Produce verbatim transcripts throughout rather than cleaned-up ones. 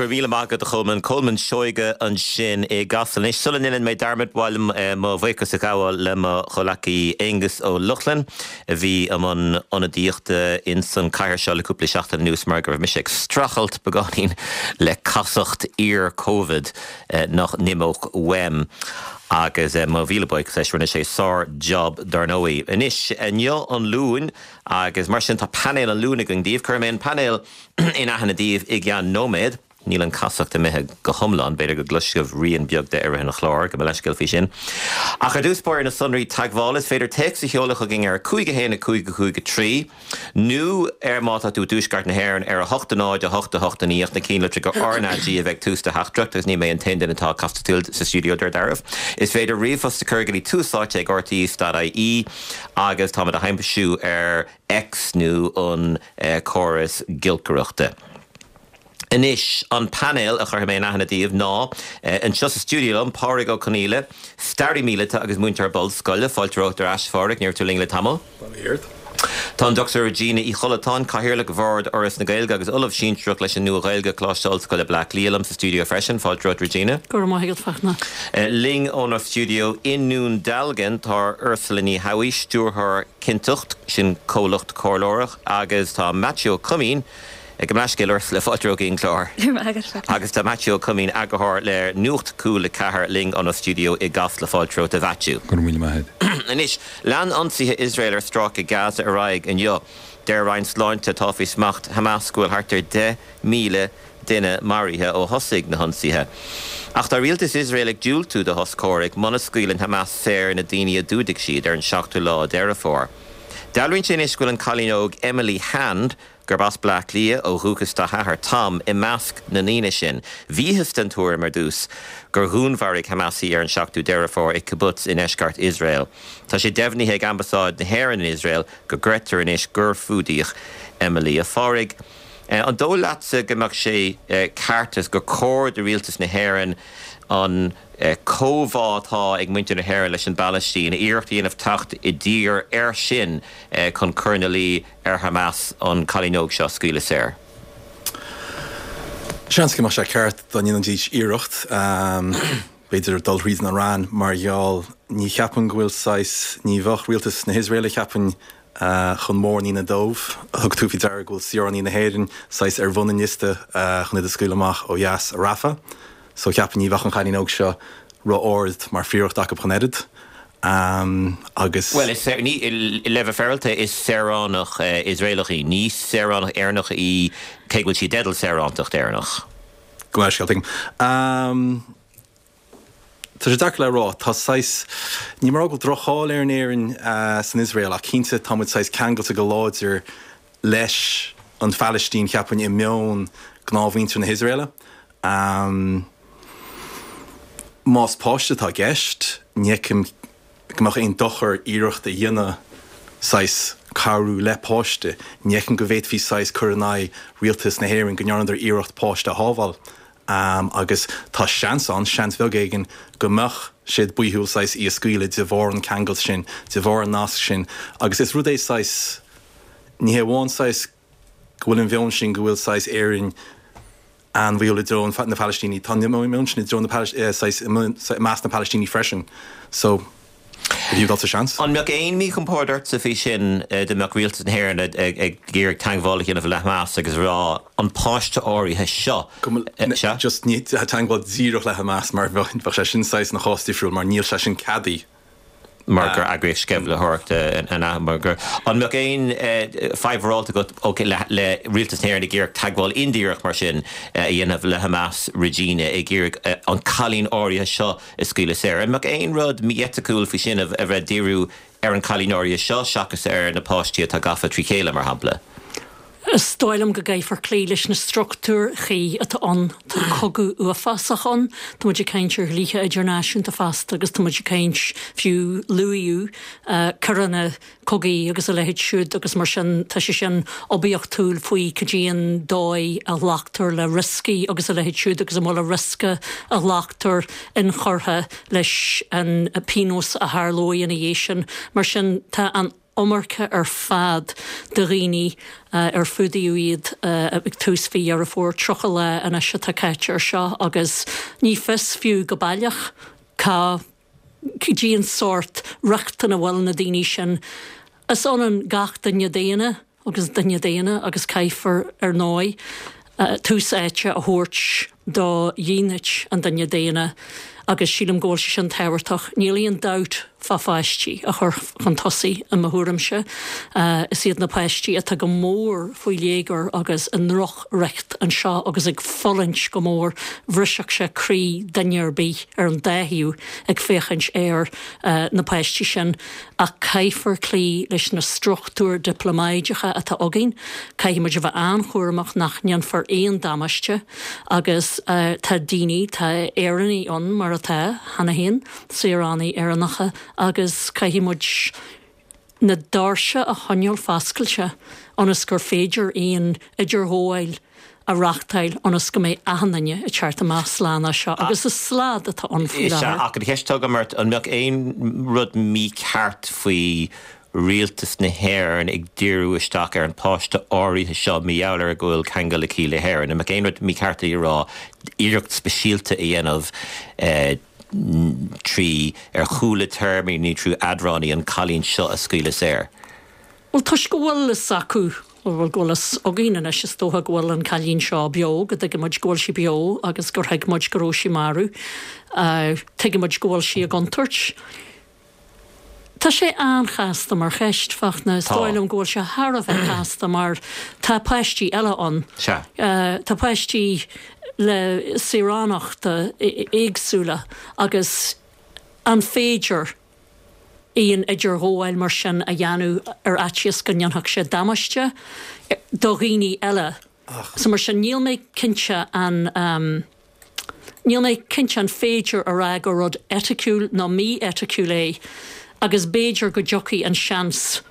Go raibh míle maith agat a Cholmáin Colmán Seoige ansin i gCasla. Anois sula ndéanann mé dearmad ba mhaith liom eh, mo bhuíochas a ghabháil le mo chomhghleacaí Aonghus Ó Lochlainn a bhí i mbun ionadaíochta in san cathair seo le cúpla seachtain anuas mar go raibh mise ag streachailt beagáinín le casacht iar-Covid eh, nach n-imeodh uaim. agus eh, mo mhíle buíochas leis rinne sé sár-job dar ndóigh. Anois inniu an Luan agus mar sin tá painéal an Luain againn daoibh cuirfidh mé an painéal in aithne daoibh i gceann nóiméad. Níl an chasacht imithe go hiomlán b'fhéidir go gcloisfidh rian beag de ar an chlár go leiscil faoi sin. Ach ar dtús báire na sonraí teagmhála is féidir téacs a sheoladh chugainn ar cúig a haon a cúig a cúig a trí, nó ar má tá tú i dtuaisceart na hÉireann ar a hocht a náid a hocht a hocht a naoi na cinnlitreacha RnaG a bheith tús do theachtaireacht agus ní mé an t-aon duine atá castúil sa stiúideo ar deireadh. Is féidir ríomhphost a chur go dtí Tús Áite ag RTÉ.ie agus táimid le haimsiú ar X nó an eh, córas giolcaireachta. Anois an painéal a chuirfidh mé in aithne daoibh ná eh, anseo sa stiúideo liom Pádraig Ó Conghaile, staraí míleata agus múinteoir bunscoile fáilte romhat ar ais Phádraig ní raibh tú linn le tamall. Tá an Dr Regina Uí Chollatáin cathaoirleach Bhord Fhoras na Gaeilge agus Ollamh Sinsearach leis an Nua-Ghaeilge Coláiste Ollscoile Bleá Cliath liom sa stiúideo freisin fáilte romhat Regina. Go maith Fachtna. Uh, linn óna stiúideo i nDún Dealgan tá Ursula Ní Thabhaigh stiúrthóir Cinnteacht sin comhlacht comhairleoireachta agus tá Matthew Cumming ag an leiscéil le fáilte romhat an clár. Agus tá Matthew Cumming eagarthóir le Nuacht Cúl a Ceathair linn óna stiúideo i gCasla fáilte romhat a Mhaitiú. Go míle maith. Anois lean ionsaithe Iosrael ar stráice Gaza ar aghaidh inniu. Deir Roinn Sláinte atá faoi smacht Hamas go bhfuil thart ar deich míle duine maraithe ó thosaigh na hionsaithe. Ach tá rialtas Iosrael ag diúltú do shos comhraic muna scaoileann Hamas saor na daoine a d'fhuadaigh siad ar an seachtú lá Deireadh Fómhair. Dealraíonn sé anois go bhfuil an cailín óg Emily Hand gurb as Bleá Cliath ó dhúchas dá hathair Tom i measc na ndaoine sin. Bhíothas den tuairim ar dtús gur dhúnmharaigh Hamas í ar an seachtú Deireadh Fómhair i kibbutz i ndeisceart Iosrael. Tá sé deimhnithe ag ambasáid na hÉireann in Iosrael go gcreidtear anois gur fuadaíodh Emily a Phádraig. An dóigh leatsa go mbeadh sé ceart is gur cóir do rialtas na hÉireann an comhbhá atá ag muintir na hÉireann leis an bPalaistín, iarracht a dhéanamh teacht i dtír air sin chun cur ina luí ar Hamas an cailín óg seo scaoileadh saor. Seans go mbeadh sé ceart dá ndéanfaidís iarracht b'fhéidir dul thríd an Iaráin mar gheall ní cheapaim go bhfuil saghas ní bheadh rialtas na hIosraeile cheapaim chun mórán ionadh dóibh thug tú faoi deara go bhfuil saoránaigh na hÉireann saghas ar bhun an liosta chun iad a scaoileadh amach ó dheas i Rafah. So cheapaim ní bheadh an chailín óg seo ró-ard mar phríoracht acu chun oiread. Um, agus Well is ní le bheith féaráilte is saoránach uh, Iosraelach í, ní saoránach Éireannach í cé bhfuil sí i dteideal saorántacht Éireannach. Go leisceal um, Tá sé deacair le rá tá saghas ní mar go droch-cháil ar an Éirinn uh, san Iosrael ach cinnte tá muid saghas ceangailte go láidir leis an Phalaistín cheapaim i meon gnáthmhuintir na hIosraeile. Um, más páiste atá i gceist ní fheicim go mbeadh aon dochar iarracht a dhéanamh saghas cabhrú le páiste, ní fheicim go bhféadfaí saghas cur in aghaidh rialtas na hÉireann go ndearnadar iarracht páiste a shábháil. Um, agus tá seans an seans bheag éigin go mbeadh siad baothúil saghas í a scaoileadh de bharr an ceangal sin, de bharr an nasc sin, agus is rud é saghas ní hamháin saghas go bhfuil an mheon sin go bhfuil saghas Éirinn an-bhuí i dtreo na Palaistínigh tá meon sin i dtreo na saghas i measc na Palaistínigh freisin. So bhí dul sa seans. An mbeadh aon míchompord ortsa faoi sin dá mbeadh rialtas na hÉireann ag iarraidh teagmháil a dhéanamh le Hamas agus rá an páiste áirithe seo. Just ní teagmháil díreach le Hamas mar bheadh sé sin saghas na chás difriúil mar níl sé sin ceadaithe. mar gur eagraíocht sceimhlitheoireachta an mar gur an mbeadh aon fadhb agat ok le le rialtas na hÉireann ag iarraidh teagmháil indíreach mar sin a dhéanamh le Hamas Regina ag iarraidh an cailín áirithe seo a scaoileadh saor. An mbeadh aon rud mí-eiticiúil faoi sin a bheith díriú ar an cailín áirithe seo seachas ar na páistí atá gafa trí chéile mar shampla. Is dóigh liom go gcaithfear cloí leis na struchtúir chuí atá ann tá cogadh uafásach ann, Tá muid ag caint ar dhlíthe idirnáisiúnta fosta agus tá muid ag caint fiú luaíodh coireanna cogaidh agus a leithéid siúd agus mar sin tá sé sin oibiachtúil faoi cad é an dóigh a ghlactar le rioscaí agus a leithéid siúd agus an bhfuil a riosca a ghlactar inchurtha leis an pionós a tharlóidh ina dhiaidh sin. Mar sin tá an iomarca ar fad de dhaoine ar fuadaíodh iad ag tús mhí Dheireadh Fómhair, tríocha lá anois atá caite ar seo agus ní fios fiú go baileach cá cén sórt riocht ina bhfuil na daoine sin. Is ionann gach duine daonna agus duine daonna agus caithfear, ar ndóigh, tús áite a thabhairt do dhínit an duine daonna agus sílim go bhfuil sé sin tábhachtach. Níl aon dabht fá pháistí a chur chun tosaigh i mo thuairimse. Is iad na páistí atá go mór faoi léigear agus i ndrochriocht anseo agus ag fulaingt go mór. Bhrisfeadh sé croí duine ar bith ar an dá thaobh ag féachaint ar na páistí sin. Ach caithfear cloí leis na struchtúir dioplómáideacha atá againn. Caithfidh muid a bheith an-chúramach nach ndéanfar aon damáiste agus tá daoine, tá Éireannaigh ann mar atá cheana féin, saoránaigh Éireannacha agus caithfidh muid na doirse a choinneáil foscailte ionas gur féidir aon idirghabháil a reáchtáil ionas go mbeidh achan duine ag teacht amach slán as seo agus is slad atá ann faoi Is ea, láthair. ach an cheist atá agam ort, an mbeadh aon rud mícheart faoi rialtas na hÉireann ag díriú isteach ar an páiste áirithe seo mar gheall ar go bhfuil ceangal aici le hÉirinn? An mbeadh aon rud mícheart a rá iarracht speisialta a dhéanamh trí ar chúla téarmaí nó trí eadránaí an cailín seo a scaoileadh saor? Bhuel, toisc go bhfuil fhios acu, bhuel, go bhfuil fhios againn anois, is dócha go bhfuil an cailín seo beo, go dtuigeann muid go bhfuil sí beo agus gur thuig muid go raibh sí marbh. Tuigeann muid go bhfuil sí i gcontúirt. Tá sé an-chasta mar cheist, Fachtna. Is dóigh liom go bhfuil sé thar a bheith casta mar tá páistí eile ann. Sea. Tá páistí le saoránachta éagsúla agus an féidir aon idirghabháil mar sin a dhéanamh ar fhaitíos go ndéanfadh sé damáiste do dhaoine eile? So mar sin níl mé cinnte an níl mé cinnte an féidir a rá gur rud eiticiúil nó mí-eiticiúil é agus b'fhéidir go dtiocfaidh an seans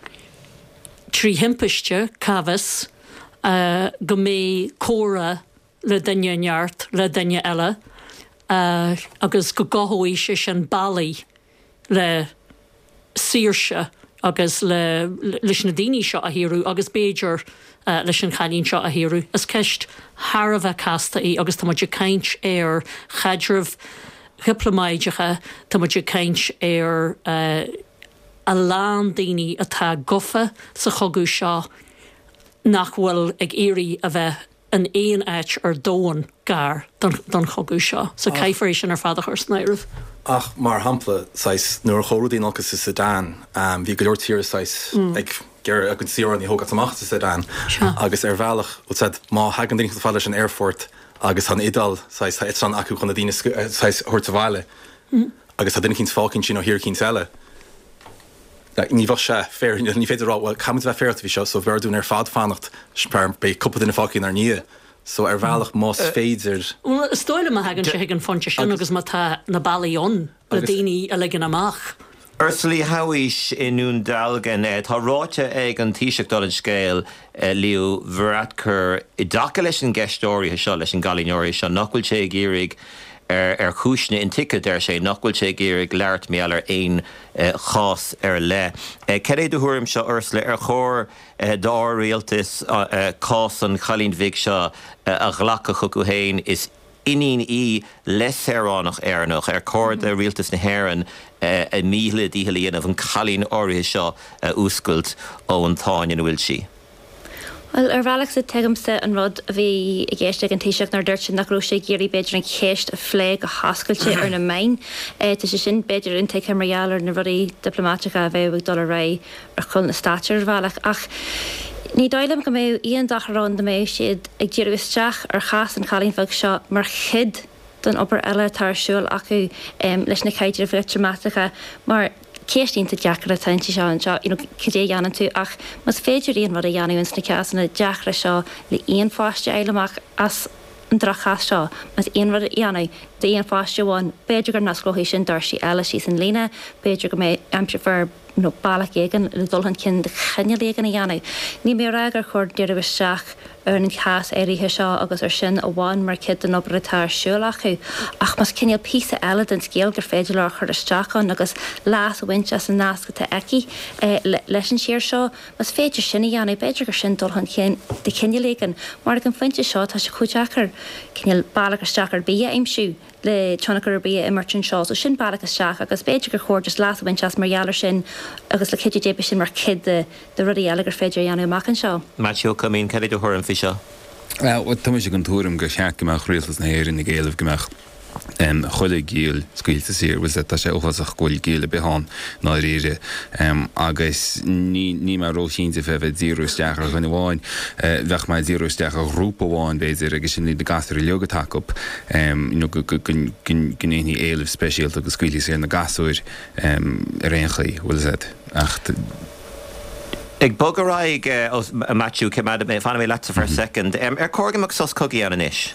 trí thimpiste, cá bhfios, go mbeidh comhrá le duine inteacht, le duine eile agus go gcothóidh sé sin bealaí le saoirse agus le leis na daoine seo a shaoradh agus b'fhéidir leis an chailín seo a shaoradh. Is ceist thar a bheith casta í agus tá muid ag caint ar chaidrimh dhioplómáideacha, tá muid ag caint ar a lán daoine atá gafa sa chogadh seo nach bhfuil ag iarraidh a bheith in aon áit ar domhan gar don chogadh seo. So caithfear é sin ar fad a chur san áireamh. Ach mar shampla, saghas, nuair a chuaigh rudaí in olcas sa Sudan, bhí go leor tíortha saghas ag iarraidh a gcuid saoránaigh a thógáil amach as an Sudan agus ar bhealach, bhfuil said, má thagann duine chomh fada leis an aerfort agus tá an Iodáil, saghas, tá eitleán acu chun na daoine saghas a thabhairt abhaile agus tá duine eicínt fágtha ansin ó thír eicínt eile, ní bheadh sé fair, ní féidir a rá, bhuel, caithfimid a bheith féaráilte faoi seo, so b'fhearr dúinn ar fad fanacht, beidh cúpla duine fágtha inár ndiaidh. So ar bhealach más féidir. Bhuel, is dóigh liom má thagann sé chuig an phointe sin agus má tá na bealaí ann le daoine a ligean amach. Ursula Ní Shabhaois i nDún Dealgan, tá ráite ag an Taoiseach dála an scéil, Leo Varadkar, i dtaca leis an gceist áirithe seo, leis an gcailín áirithe seo, nach bhfuil sé ag iarraidh, ar chúiseanna intuigthe, deir sé, nach bhfuil sé ag iarraidh labhairt mar gheall ar aon chás ar leith. Cad é do thuairimse, Ursula, ar chóir dár rialtas cás an chailín bhig seo a ghlacadh chucu féin? Is iníon í le saoránach Éireannach. Ar chóir do rialtas na hÉireann a míle dícheall a dhéanamh an cailín áirithe seo a fhuascailt ón tsáinn ina bhfuil sí? Bhuel, ar bhealach so tuigimse an rud a bhí i gceist ag an Taoiseach nuair a dúirt sé nach raibh sé ag iarraidh b'fhéidir an cheist a phlé go hoscailte ar na meáin. Tá sé sin b'fhéidir intuigthe mar gheall ar na rudaí dioplómáiteacha a bheadh ag dul ar aghaidh ar chúl na stáitse ar bhealach. Ach ní dóigh liom go mbeadh aon dochar ann dá mbeadh siad ag díriú isteach ar chás an chailín bheag seo mar chuid den obair eile atá ar siúl acu leis na caidrimh dhioplómáiteacha mar ceist iontach deacair atá inti seo anseo, you know, cad é a dhéanann tú ach más féidir aon rud a dhéanamh ins na cásanna deacra seo le aon pháiste a fháil amach as an droch-chás seo, más aon rud a dhéanamh d'aon pháiste amháin, b'fhéidir go n-osclóidh sin doirsí eile síos an líne, b'fhéidir go mbeidh, aimseofar you know, bealach éigin le dul chun cinn de chineál éigin a dhéanamh. Níl mé ag rá gur chóir díriú isteach ar ar an chás áirithe seo agus ar sin amháin mar chuid den obair atá ar siúl acu. Ach más cineál píosa eile den scéal gur féidir leo a chur isteach ann agus leas a bhaint as an nasc atá aici leis an tír seo, más féidir sin a dhéanamh, b'fhéidir gur sin dul chun cinn de chineál éigin, mar ag an phointe seo tá sé chomh deacair cineál bealach isteach ar bith a aimsiú le tionchar ar bith a imirt anseo. So sin bealach isteach agus b'fhéidir gur chóir just leas a bhaint as mar gheall ar sin agus le cuidiú Dé beidh sin mar chuid de de rudaí eile gur féidir a dhéanamh amach anseo. Maitiú Ó Coimín, cad é do thuairim faoi seo? Tá mise den tuairim gur cheart go mbeadh Rialtas na hÉireann ag éileamh go mbeadh chuile ghiall scaoilte saor. Bhuel, tá sé uafásach go bhfuil giall ar bith ann i ndáiríre agus ní níl mé róchinnte fé bheith ag díriú isteach ar dhuine amháin. Bheadh mé ag díriú isteach ar ghrúpa amháin b'fhéidir agus sin iad na gasúir uilig atá acu nó go ndéanfaí éileamh speisialta go scaoilfí saor na gasúir ar aon chaoi, bhfuil a fhios agat. Ach. Ag bogadh ar aghaidh, a Maitiú, coimeádfaidh mé, fanfaidh mé leatsa for a second. Ar chóir go mbeadh sos cogaidh ann anois?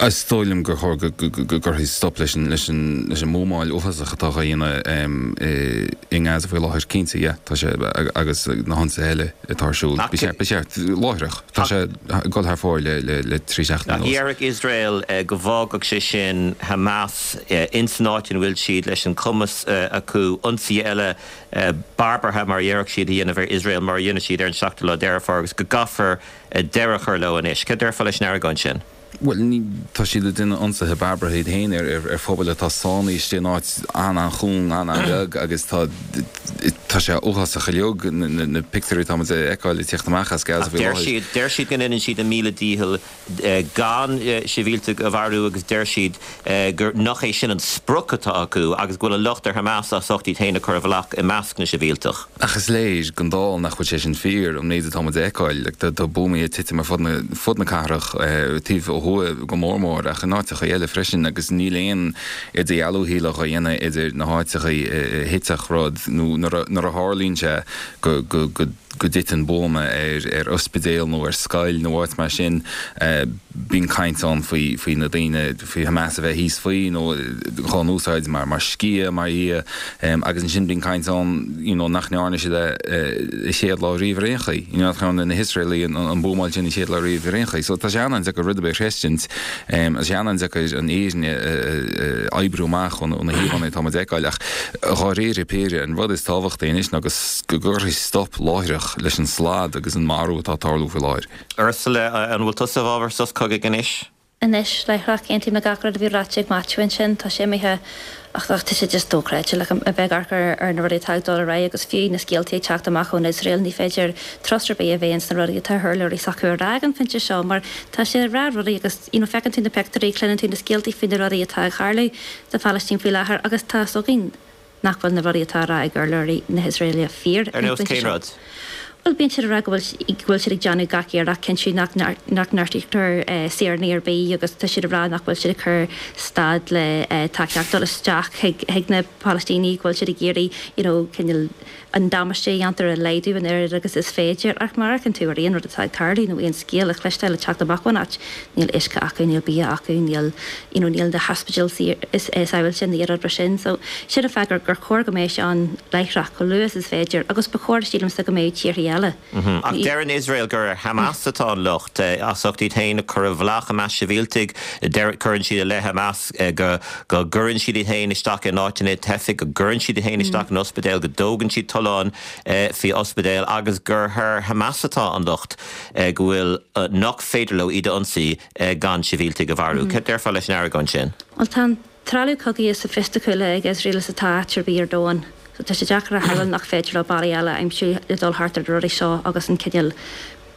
Is dóigh liom gur chóir go gcuirfí stop leis an leis an leis an mbuamáil uafásach atá á dhéanamh i nGaza faoi láthair. Cinnte, yeah, tá sé agus na hionsaithe eile atá ar siúl. Ba cheart, ba cheart, láithreach. Tá sé ag dul thar fóir le le le trí seachtaine anuas. Ach déarfadh Iosrael go bhfágfadh sé sin Hamas ins an áit ina bhfuil siad leis an cumas acu ionsaithe eile barbartha mar a déarfadh siad a dhéanamh ar Iosrael mar a dhéanann siad ar an seachtú lá Deireadh Fómhair agus go gcaithfear deireadh a chur leo anois. Cad déarfá leis an argóint sin? Bhuel, ní, tá siad ag déanamh ionsaithe barbartha iad féin ar, ar, ar phobail atá sáinnithe istigh in áit an-an-chúng, an-an-bheag agus tá, tá sé uafásach uilig, na, na, na pictiúirí atá muid a fheiceáil ag tíocht amach as Gaza Ach faoi deir láthair. siad, deir siad go ndéanann siad a míle dícheall gan sibhialtaigh a mharú agus deir siad gur, nach é sin an sprioc atá acu agus go bhfuil an locht ar Hamas as ucht iad féin a chur i bhfolach i measc na sibhialtach. Ach is léir don dall nach bhfuil sé sin fíor, an méid atá muid a fheiceáil. Like, tá, tá buamaí ag titim ar fud na, fud na cathrach, taobh ó thuaidh go mór mór, ach in áiteacha eile freisin, agus níl aon idirdhealú shílfeá á dhéanamh idir na háiteacha a thitfeadh rud nó nuair a, nuair a tharlaíonn sé go, go, go, go dtiteann buama ar, ar ospidéal nó ar scoil nó áit mar sin, bíonn caint ann faoi, faoi na daoine, faoi Hamas a bheith thíos faoi nó dhá n-úsáid mar, mar sciath, mar dhea, agus ansin bíonn caint ann you know nach ndearna siad é an chéad lá riamh ar aon chaoi, you know nach ndearna na hIosraelaigh an, an buamáil sin an chéad lá riamh ar aon chaoi. So tá sé an-an-deacair rud ar bith a chreidstint, tá sé an-an-deacair an fhírinne a oibriú amach ó na híomhánna atá muid a fheiceáil ach dháiríre píre an rud is tábhachtaí anois ná go gcuirfí stop láithreach leis an slad agus an marú atá ag tarlú faoi láthair. Ursula, an bhfuil tusa i bhfabhar sos cogaidh anois? Anois, láithreach, aontaím le gach rud a bhí ráite ag Maitiú ansin. Tá sé imithe ach ach tá sé just dochreidte like a bheith ag amharc ar ar na rudaí atá ag dul ar aghaidh agus fiú na scéaltaí ag teacht amach ón Iosrael ní féidir trust ar bith a bheith ins na rudaí atá urlabhraí s'acu a rá ag an phointe seo mar tá siad ag rá rudaí agus you know feiceann tú na pictiúirí, cluineann tú na scéaltaí faoi na rudaí atá ag tarlú sa Phalaistín faoi láthair agus tá a fhios againn nach bhfuil na rudaí atá á rá ag urlabhraí na hIosraeile fíor Ar ag an nós phointe cén seo. rud? Bhuel, bíonn siad ag rá go bhfuil go bhfuil siad ag déanamh gach iarracht cinntiú nach nach ngortaítear saoránaigh ar bith agus tá siad ag rá nach bhfuil siad ag cur stad le tacaíocht dul isteach chuig chuig na Palaistínigh, go bhfuil siad ag iarraidh you know cineál an damáiste a dhéantar a laghdú an oiread agus is féidir. Ach má amharcann tú ar aon rud atá ag tarlú nó aon scéal a chloisteáil ag teacht amach ón áit, níl uisce acu, níl bia acu, níl you know níl na hospidéil sábháilte, níl rud mar sin. So sin an fáth gur gur chóir go mbeadh sé ann láithreach, chomh luath is is féidir agus ba chóir sílimse go mbeadh tíorthaí eile. Ach deireann Iosrael gur ar Hamas atá an locht as ucht iad féin a chur i bhfolach i measc sibhialtaigh. Cuireann siad i leith Hamas go go gcuireann siad iad féin isteach in áiteanna teifigh, go gcuireann siad iad féin isteach in ospidéil, go dtógann siad tolláin faoi ospidéil agus gur ar Hamas atá an locht go bhfuil nach féidir leo iad a ionsaí gan sibhialtaigh a mharú. Cad déarfá leis an argóint sin? Bhuel tá an trealamh cogaidh is soifisticiúla ag Iosrael is atá áit ar bith ar domhan. So tá sé deacair a shamhlú nach féidir leo bealaí eile a aimsiú le dul thart ar na rudaí seo agus an cineál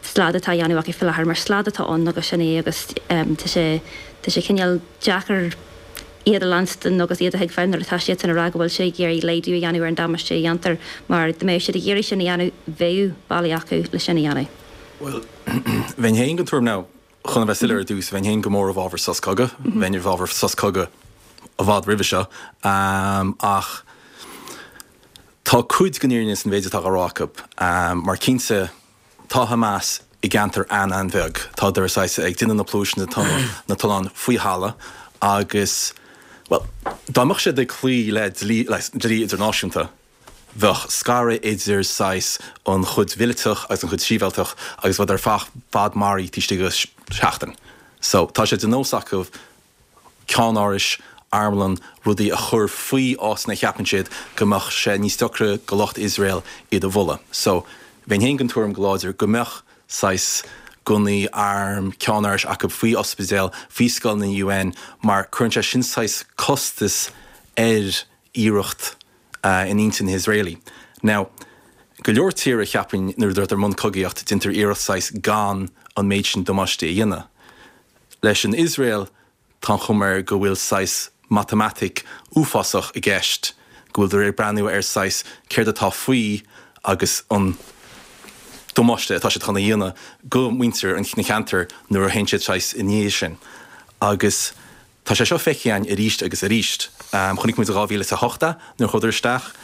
slad atá á dhéanamh acu faoi láthair mar slad atá ann agus sin é agus tá sé tá sé cineál deacair iad a leanstan agus iad a thuigbheáil nuair atá siadsan ag rá go bhfuil siad ag iarraidh laghdú a dhéanamh ar an damáiste a dhéantar mar dá mbeadh siad ag iarraidh sin a dhéanamh bheadh bealaí acu le sin a dhéanamh. Bhuel, bheinn féin den tuairim now, chun a bheith soiléir ar dtús, bheinn féin go mór i bhfabhar sos cogaidh, bheinn i bhfabhar sos cogaidh i bhfad roimhe seo, ach tá cuid den fhírinne san mhéid atá á rá acu, mar cinnte tá Hamas i gceantar an-an-bheag, tádar saghas ag déanamh na pluaiseanna, tá na tolláin faoi thalamh agus, bhuel, dá mbeadh siad ag cloí le dlí, le dlí idirnáisiúnta, Bheadh scaradh idir saghas an chuid mhíleatach agus an chuid sibhialtach agus bheadh ar fad maraithe taobh istigh de sheachtain. So tá sé de nós acu ceannárais, armlann, rudaí a chur faoi áiteanna a cheapann siad go mbeadh sé níos deacra go lucht Iosrael iad a bhualadh. So bheinn féin den tuairim go láidir go mbeadh saghas gunnaí, arm, ceannárais acu faoi ospidéil, faoi scoileanna UN mar cuireann sé sin saghas costas ar iarracht in intinn na hIosraelaigh. Now, go leor tíortha cheapfainn nuair atá i mbun cogaíocht déantar iarracht saghas gan an méid sin damáiste a dhéanamh. Leis an Iosrael tá an chuma air go bhfuil saghas matamaitic uafásach i gceist, go bhfuil ag breathnú ar saghas céard atá faoi agus an damáiste atá siad chun a dhéanamh go muintir an na ceantar nuair a théann siad saghas i ndiaidh sin. Agus tá sé seo feicthe againn arís agus arís. Chonaic muid i dhá mhíle is a hocht é nuair a chuadar isteach,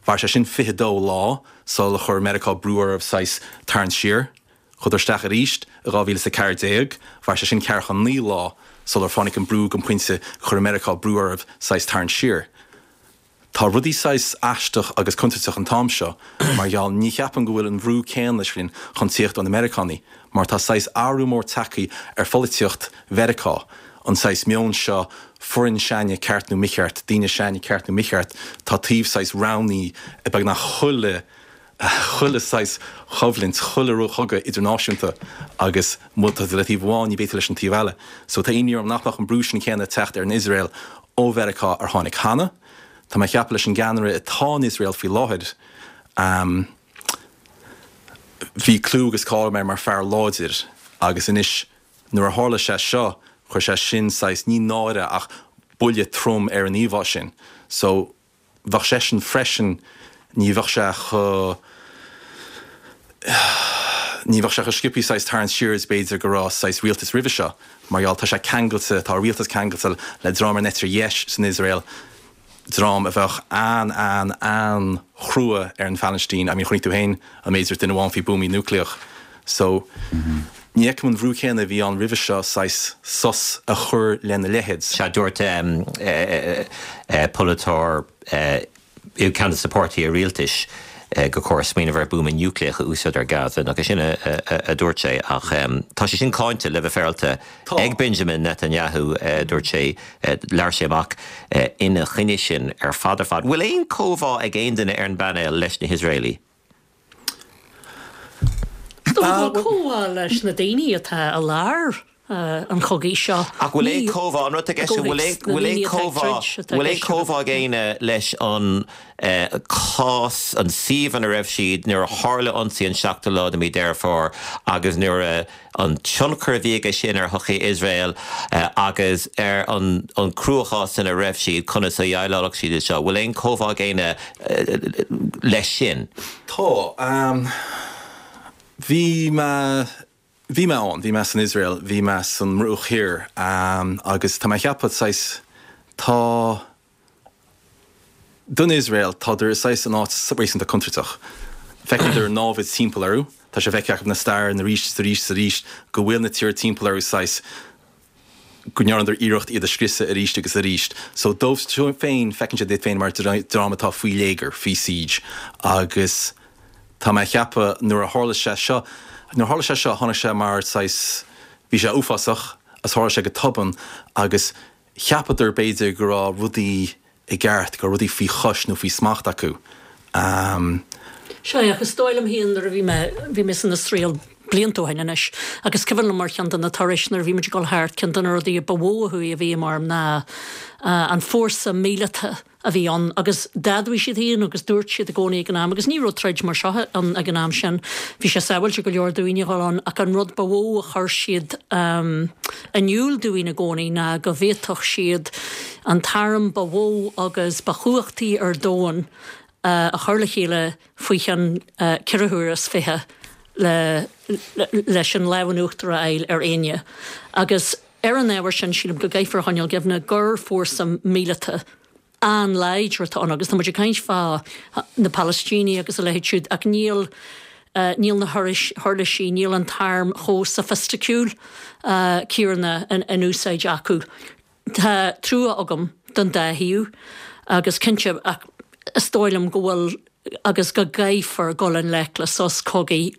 mhair sé sin fiche dó lá sular chuir Meiriceá brú orthu saghas tarraingt siar. Chuadar isteach arís i dhá mhíle is a ceathair déag, mhair sé sin ceathracha naoi lá sular tháinig an brú go pointe gur chuir Meiriceá brú orthu saghas tarraingt siar. Tá rudaí saghas aisteach agus contúirteach an t-am seo mar gheall ní cheapaim go bhfuil an bhrú céanna sin chun tíocht ó na Meiriceánaigh mar tá saghas athrú mór tagtha ar pholaitíocht Mheiriceá, an saghas meon seo foireann s'againne ceart nó mícheart, daoine s'againne ceart nó mícheart, tá taobh saghas roghnaithe i beagnach chuile chuile saghas choimhlint, chuile chogadh idirnáisiúnta agus má tá tú le taobh amháin ní bheidh tú leis an taobh eile. So tá imní orm nach mbeadh an brú sin céanna ag teacht ar an Iosrael ó Mheiriceá ar tháinig cheana. Tá mé ag ceapadh leis an gceannaire atá in Iosrael faoi láthair, bhí clú agus cáil air mar fear láidir agus anois nuair a tharla sé seo, chuir sé sin saghas, ní náire ach buille trom ar an íomhá sin. So bheadh seisean freisin, ní bheadh sé chomh, ní bheadh sé chomh sciobtha saghas tarraingt siar is b'fhéidir go raibh saghas rialtas roimhe seo mar gheall tá sé ceangailte, tá a rialtas ceangailte le dream ar an eite dheis san Iosrael, dream a bheadh an, an, an-chrua ar an Phalaistín. I mean chonaic tú féin an méid a dúirt duine amháin faoi buamaí núicléach. So ní fheicim an bhrú céanna a bhí ann roimhe seo saghas sos a chur lena leithéid. Sea, dúirt polaiteoir i gceann de na páirtithe rialtais gur chóir smaoineamh ar buama núicléach a úsáid ar Gaza, nach é sin a dúirt sé? Ach tá sé sin cáinte, le bheith féaráilte, ag Benjamin Netanyahu, dúirt sé, labhair sé amach ina choinne sin ar fad ar fad. Bhfuil aon chomhbhá ag aon duine ar an bpainéal leis na hIosraelaigh? Is dócha go bhfuil comhbhá leis na daoine atá i lár an chogaidh seo. Ach bhfuil aon chomhbhá, an rud atá i gceist, bhfuil aon, bhfuil aon chomhbhá, bhfuil aon chomhbhá ag éinne leis an cás, an suíomh ina raibh siad nuair a tharla ionsaí an seachtú lá de mhí Deireadh Fómhair agus nuair a, an tionchar a bhí aige sin ar shochaí Iosrael agus ar an an cruachás ina raibh siad, conas a dhéileálfadh siad leis seo? Bhfuil aon chomhbhá ag éinne leis sin? Tá. Bhí mé, bhí mé ann, bhí mé san Iosrael, bhí mé san mBruach Thiar agus tá mé ag ceapadh saghas, tá, don Iosrael, tádar i saghas in áit réasúnta contúirteach. Feiceann an námhaid timpeall orthu, tá sé feicthe acu na stair arís is arís is arís go bhfuil na tíortha timpeall orthu saghas, go ndearnadar iarracht iad a scriosadh arís agus arís. So dóibh féin, feiceann siad iad féin mar dream atá faoi léigear, faoi siege. Agus tá mé ag ceapadh nuair a tharla sé seo, nuair a tharla sé seo tháinig sé mar saghas, bhí sé uafásach agus tharla sé go tobann agus cheapadar b'fhéidir go raibh rudaí i gceart, go raibh rudaí faoi chois nó faoi smacht acu. Sea, ach is dóigh liom féin nuair a bhí mé, bhí mé san Iosrael blianta ó shin anois, agus is cuimhin liom ar cheann de na turais nuair a bhí muid ag dul thart, ceann de na rudaí a ba mhó a chuaigh i bhfeidhm orm ná an fórsa míleata a bhí ann agus d'admhaigh siad féin agus dúirt siad i gcónaí ag an am, agus ní raibh troid mar seo ann ag an am sin, bhí sé sábháilte go leor dúinn a dhul ann ach an rud ba mhó a chuir siad in iúl dúinn i gcónaí ná go bhféadfadh siad an t-arm ba mhó agus ba chumhachtaí ar domhan a chur le chéile faoi cheann ceithre huaire is fiche le leis an lámh in uachtar a fháil ar éinne agus ar an ábhar sin sílim go gcaithfear a choinneáil i gcuimhne gur fórsa míleata an-láidir atá ann agus tá muid ag caint fá na Palaistínigh agus a leithéid siúd ach níl níl na huirlisí, níl an t-arm chomh soifisticiúil céanna in úsáid acu. Tá trua agam don dá thaobh agus cinnte ach is dóigh liom go bhfuil agus go gcaithfear dul i ngleic le sos cogaidh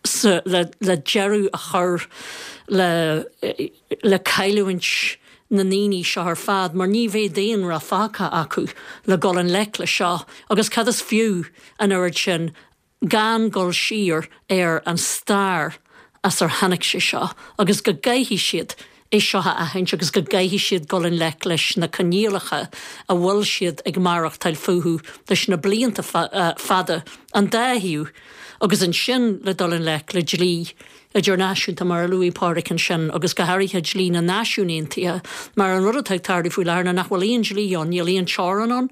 sa, le, le deireadh a chur le, le cailliúint na ndaoine seo ar fad, mar ní bheidh daonra fágtha acu le dul i ngleic le seo, agus cad is fiú an oiread sin gan dul siar ar an stair as ar tháinig sé seo, agus go gcaithfidh siad é seo a aithint agus go gcaithfidh siad dul i ngleic leis na coinníollacha a bhfuil siad ag maireachtáil fúthu leis na blianta fada, an dá thaobh, agus ansin le dul i ngleic le dlí idirnáisiúnta mar a luaigh Pádraic ansin agus go háirithe dlí na Náisiún Aontaithe mar an rud atá ag tarlú faoi láthair ná nach bhfuil aon dlí ann, níl aon teorainn ann,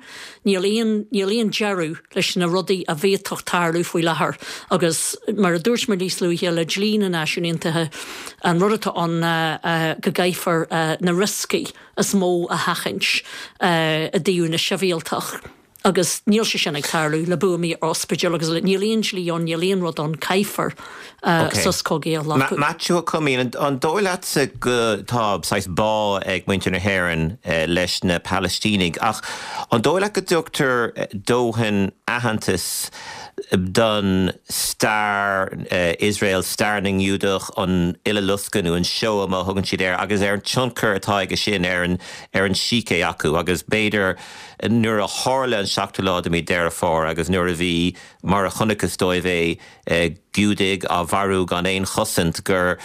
níl aon, níl aon deireadh leis na rudaí a bhféadfadh tarlú faoi láthair agus mar a dúirt mé níos luaithe le dlí na Náisiún Aontaithe an rud atá ann ná go gcaithfear na rioscaí is mó a sheachaint i dtaobh na sibhialtach. Agus níl sé sin ag tarlú le buamaí ar ospidéil agus níl aon dlí ann, níl aon rud ann, caithfear sos cogaidh a ghlacadh. Maitiú Ó Coimín, an dóigh leatsa go tá saghas bá ag muintir na hÉireann leis na Palaistínigh ach an dóigh leat go dtugtar dóthain aitheantas don stair Iosrael, stair na nGiúdach, an Uileloscadh nó an Shoah mar a thugann siad air agus ar an tionchar atá aige sin ar an ar an sícé acu agus b'fhéidir nuair a tharla an seachtú lá de mí Deireadh Fómhair agus nuair a bhí, mar a chonacthas dóibh é, Giúdaigh á mharú gan aon chosaint, gur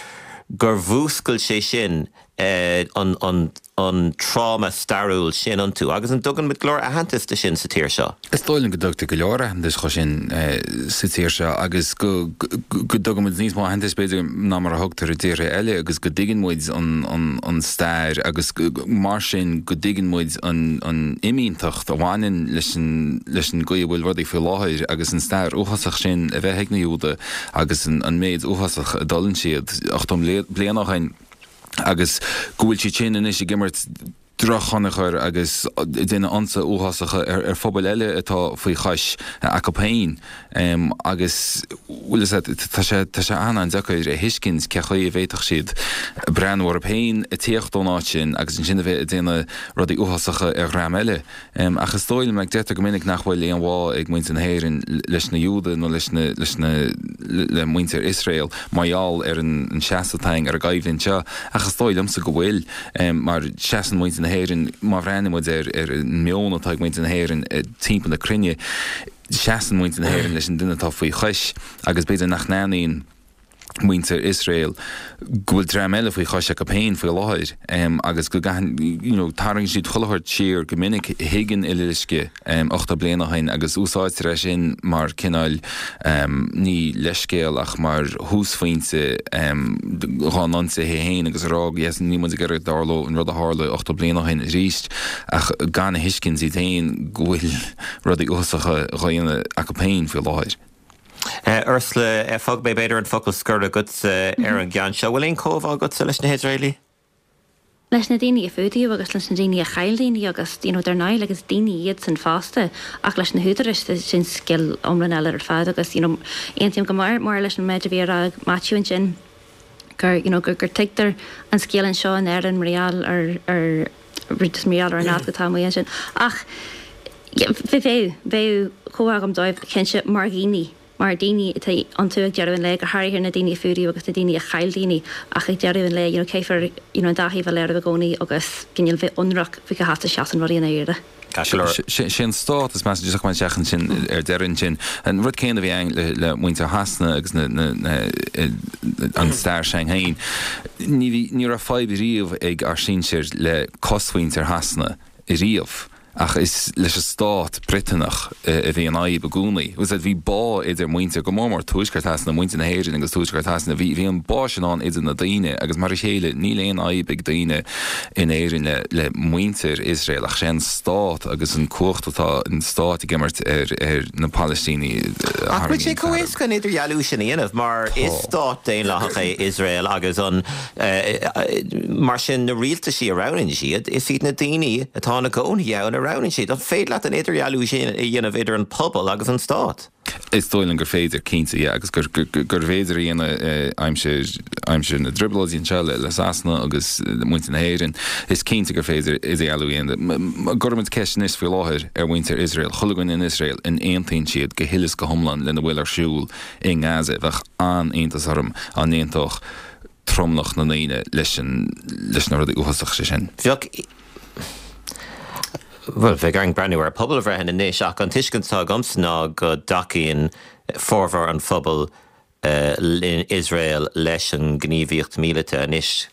gur mhúscail sé sin an an an tráma stairiúil sin iontu. Agus an dtugann muid go leor aitheantas do sin sa tír seo? Is dóigh liom go dtugtar go leor aitheantais dho sin sa tír seo agus go go dtugann muid níos mó aitheantais b'fhéidir ná mar a thugtar i dtíortha eile agus go dtuigeann muid an an an stair agus mar sin go dtuigeann muid an an fhimínteacht a bhaineann leis an leis an gcaoi a bhfuil rudaí faoi láthair agus an stair uafásach sin a bheith ag na Giúdaigh agus an an méid uafásach a d'fhulaing siad ochtó bliain ó shin agus go bhfuil siad sin anois ag imirt drochthionchar agus ag déanamh ionsaithe uafásacha ar phobail eile atá faoi chois acu féin agus bhfuil fhios agat tá sé tá sé an-an-deacair a thuiscint cé chaoi a bhféadfadh siad breathnú orthu féin ag tíocht ón áit sin agus ansin a bheith ag déanamh rudaí uafásacha ar dhream eile. Ach is dóigh liom, like, deirtear go minic nach bhfuil aon bhá ag muintir na hÉireann leis na Giúdaigh nó leis na leis na le muintir Iosrael mar gheall ar an an seasamh atá againn ar an gcoimhlint seo ach is dóigh liomsa go bhfuil mar seasann muintir na hÉireann má bhreathnaíonn muid ar ar an meon atá ag muintir na hÉireann timpeall na cruinne seasann muintir na hÉireann leis an duine atá faoi chois agus b'fhéidir nach n-aithníonn muintir Iosrael go bhfuil dream eile faoi chois acu féin faoi láthair agus go gcaitheann you know tarraingíonn siad chuile shórt siar go minic chuig an Uileloscadh ochtó bliain ó shin agus úsáidtear é sin mar cineál ní leithscéal ach mar thúsphointe dhá n-ionsaithe féin agus a rá yes níl muid ag iarraidh go dtarlódh an rud a tharla ochtó bliain ó shin arís ach gan a thuiscint iad féin go bhfuil rudaí uafásacha á dhéanamh acu féin faoi láthair. Ursula, fágfaidh mé b'fhéidir an focal scoir agatsa ar an gceann seo. Bhfuil aon chomhbhá agatsa leis na hIosraelaigh? Leis na daoine a fuadaíodh agus leis na daoine a chaill daoine agus you know dar ndóigh like is daoine iad san fosta ach leis na húdaráis sin scéal iomlán eile ar fad agus you know aontaím go mór mór leis an méid a bhí á rá ag Maitiú ansin gur you know gur gur tuigtear an scéal anseo in Éirinn mar gheall ar ar just mar gheall ar an áit atá amuigh ansin ach bheadh bheadh comhbhá agam dóibh cinnte mar dhaoine mar daoine atá iontu ag deireadh an lae, go háirithe na daoine a fuadaíodh agus na daoine a chaill daoine ach ag deireadh an lae you know caithfear you know an dá thaobh a léiriú i gcónaí agus cineál bheith ionraic faoi cá háit a seasann rudaí i ndáiríre. Sé an stát is measa just chun teacht ansin ar deireadh ansin. An rud céanna a bhí ann le le muintir Shasana agus na na na an stair s'againn féin. Ní bhí ní raibh fadhb riamh ag ár sinsir le cosmhuintir Shasana riamh. Ach is leis an stát Briotanach a bhí an fhadhb i gcónaí. Bhfuil bhí bá idir muintir, go mór mór Tuaisceart Shasana, muintir na hÉireann agus Tuaisceart Shasana, bhí bhí an bá sin ann idir na daoine agus mar a chéile níl aon fhadhb ag daoine in Éirinn le le muintir Iosrael ach sé an stát agus an cumhacht atá an stát ag imirt ar ar na Palaistínigh a Ach bhfuil sé tharraingíonn chomh fearg. éasca an idirdhealú sin a dhéanamh mar is stát daonlathach é Iosrael agus an mar sin na rialtaisí a roghnaíonn siad, is iad na daoine atá ina gcónaí ann a roghnaíonn siad. An féidir leat an idirdhealú sin a dhéanamh idir an pobal agus an stát? Is dóigh liom gur féidir, cinnte, yeah, agus gur gurbh fhéidir a dhéanamh aimsir aimsir na dtrioblóidí anseo le le Sasana agus muintir na hÉireann. Is cinnte gur féidir idirdhealú a dhéanamh. Má chuirimid ceist anois faoi láthair ar mhuintir Iosrael, chuile dhuine in Iosrael, an aontaíonn siad go huile is go hiomlán lena bhfuil ar siúl i nGaza, bheadh an-iontas orm dá n-aontódh tromlach na ndaoine leis an leis na rudaí uafásacha sin. Bheadh Bhuel, bheadh orainn breathnú ar pobalbhreitheanna anois ach an tuiscint atá agamsa ná go dtacaíonn formhór an phobail in Iosrael leis an ngníomhaíocht míleata anois.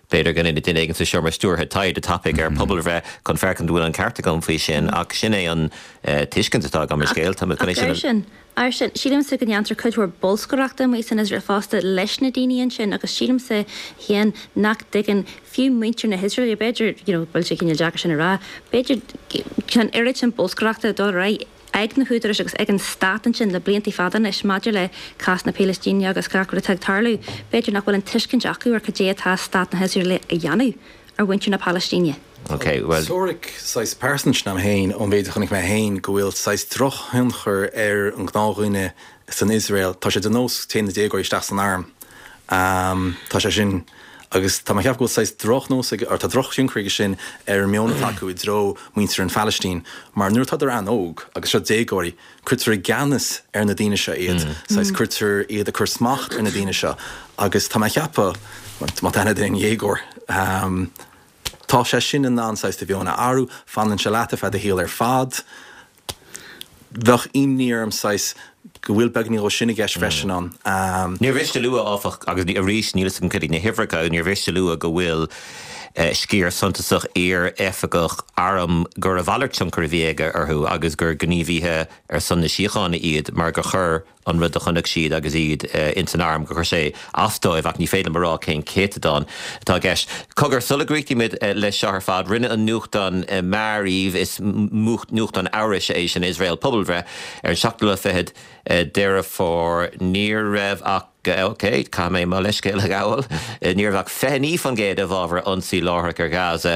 B'fhéidir go ndéanfaidh duine éigin sa seomra stiúrtha taighde tapaidh ar phobalbhreith chun féachaint an bhfuil an ceart agam faoi sin ach sin é an tuiscint atá agam ar scéal. Tá mé chun é sin a. Ach air sin, air sin, sílimse go ndéantar cuid mhór bolscaireachta amuigh san Iosrael fosta leis na daoine ansin agus sílimse féin nach dtuigeann fiú muintir na hIosraeile, b'fhéidir, you know, bhfuil sé cineál deacair sin a rá, b'fhéidir, tá an oiread sin bolscaireachta ag dul ar aghaidh ag na húdaráis agus ag an stát ansin le blianta fada anois maidir le cás na Palaistíne agus gach rud atá ag tarlú, b'fhéidir nach bhfuil an tuiscint acu ar cad é atá stát na hIosraeile a dhéanamh ar mhuintir na Palaistíne. Ok, bhuel. Teoiric saghas pearsanta sin agam féin ón mhéid a chonaic mé féin go bhfuil saghas drochthionchar ar an ngnáthdhuine san Iosrael. Tá sé de nós téann na déagóirí isteach san arm. Tá sé sin agus tá mé ag ceapadh go bhfuil saghas drochnós ag, or tá drochthionchar aige sin ar an meon atá acu i dtreo muintir an Phalaistín mar nuair atádar an-óg agus seo déagóirí, cuirtear i gceannas ar na daoine seo iad, saghas cuirtear iad ag cur smacht ar na daoine seo agus tá mé ag ceapadh, má tá aithne agat ar aon dhéagóir, tá sé sin in ann saghas do mheon a athrú, fanann sé leat ar feadh do shaoil ar fad. Bheadh imní orm saghas go bhfuil beagáinín dhó sin i gceist freisin ann. Níor mhiste a lua, áfach, agus arís níl fhios agam cad iad na huimhreacha, níor mhiste a lua go bhfuil sciar suntasach iar-oifigeach airm gur a mhalairt tionchar a bhí aige orthu agus gur gníomhaithe ar son na síochána iad mar gur chuir an rud a chonaic siad agus iad ins an arm, gur chuir sé as dóibh ach ní féidir liom a rá cén céatadán atá i gceist. Cogar, sula gcríochnaímid leis seo ar fad, rinne an nuachtán Maariv, is nuachtán Eabhraise é sin, Iosrael, pobalbhreith ar an seachtú lá fichead Deireadh Fómhair. Ní raibh ach, ok, caithfidh mé mo leithscéal a ghabháil, ní raibh ach fiche naoi faoin gcéad i bhfabhar ionsaí láithreach ar Ghaza,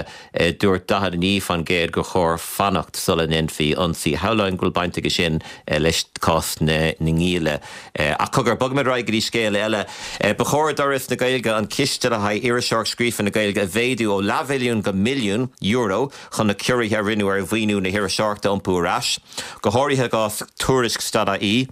dúirt daichead a naoi faoin gcéad gur chóir fanacht sula ndéanfaí ionsaí. Shamhlóinn go bhfuil baint aige sin leis cás na ngialla. Ach cogar, bogfaimid ar aghaidh go dtí scéal eile. Ba chóir d'Fhoras na Gaeilge an ciste le haghaidh iriseoireacht scríofa na Gaeilge a mhéadú ó leathmhilliún go milliún euro chun na ciorruithe a rinneadh ar mhaoiniú na hiriseoireachta a iompú ar ais, go háirithe i gcás Tuairisc stad-IE,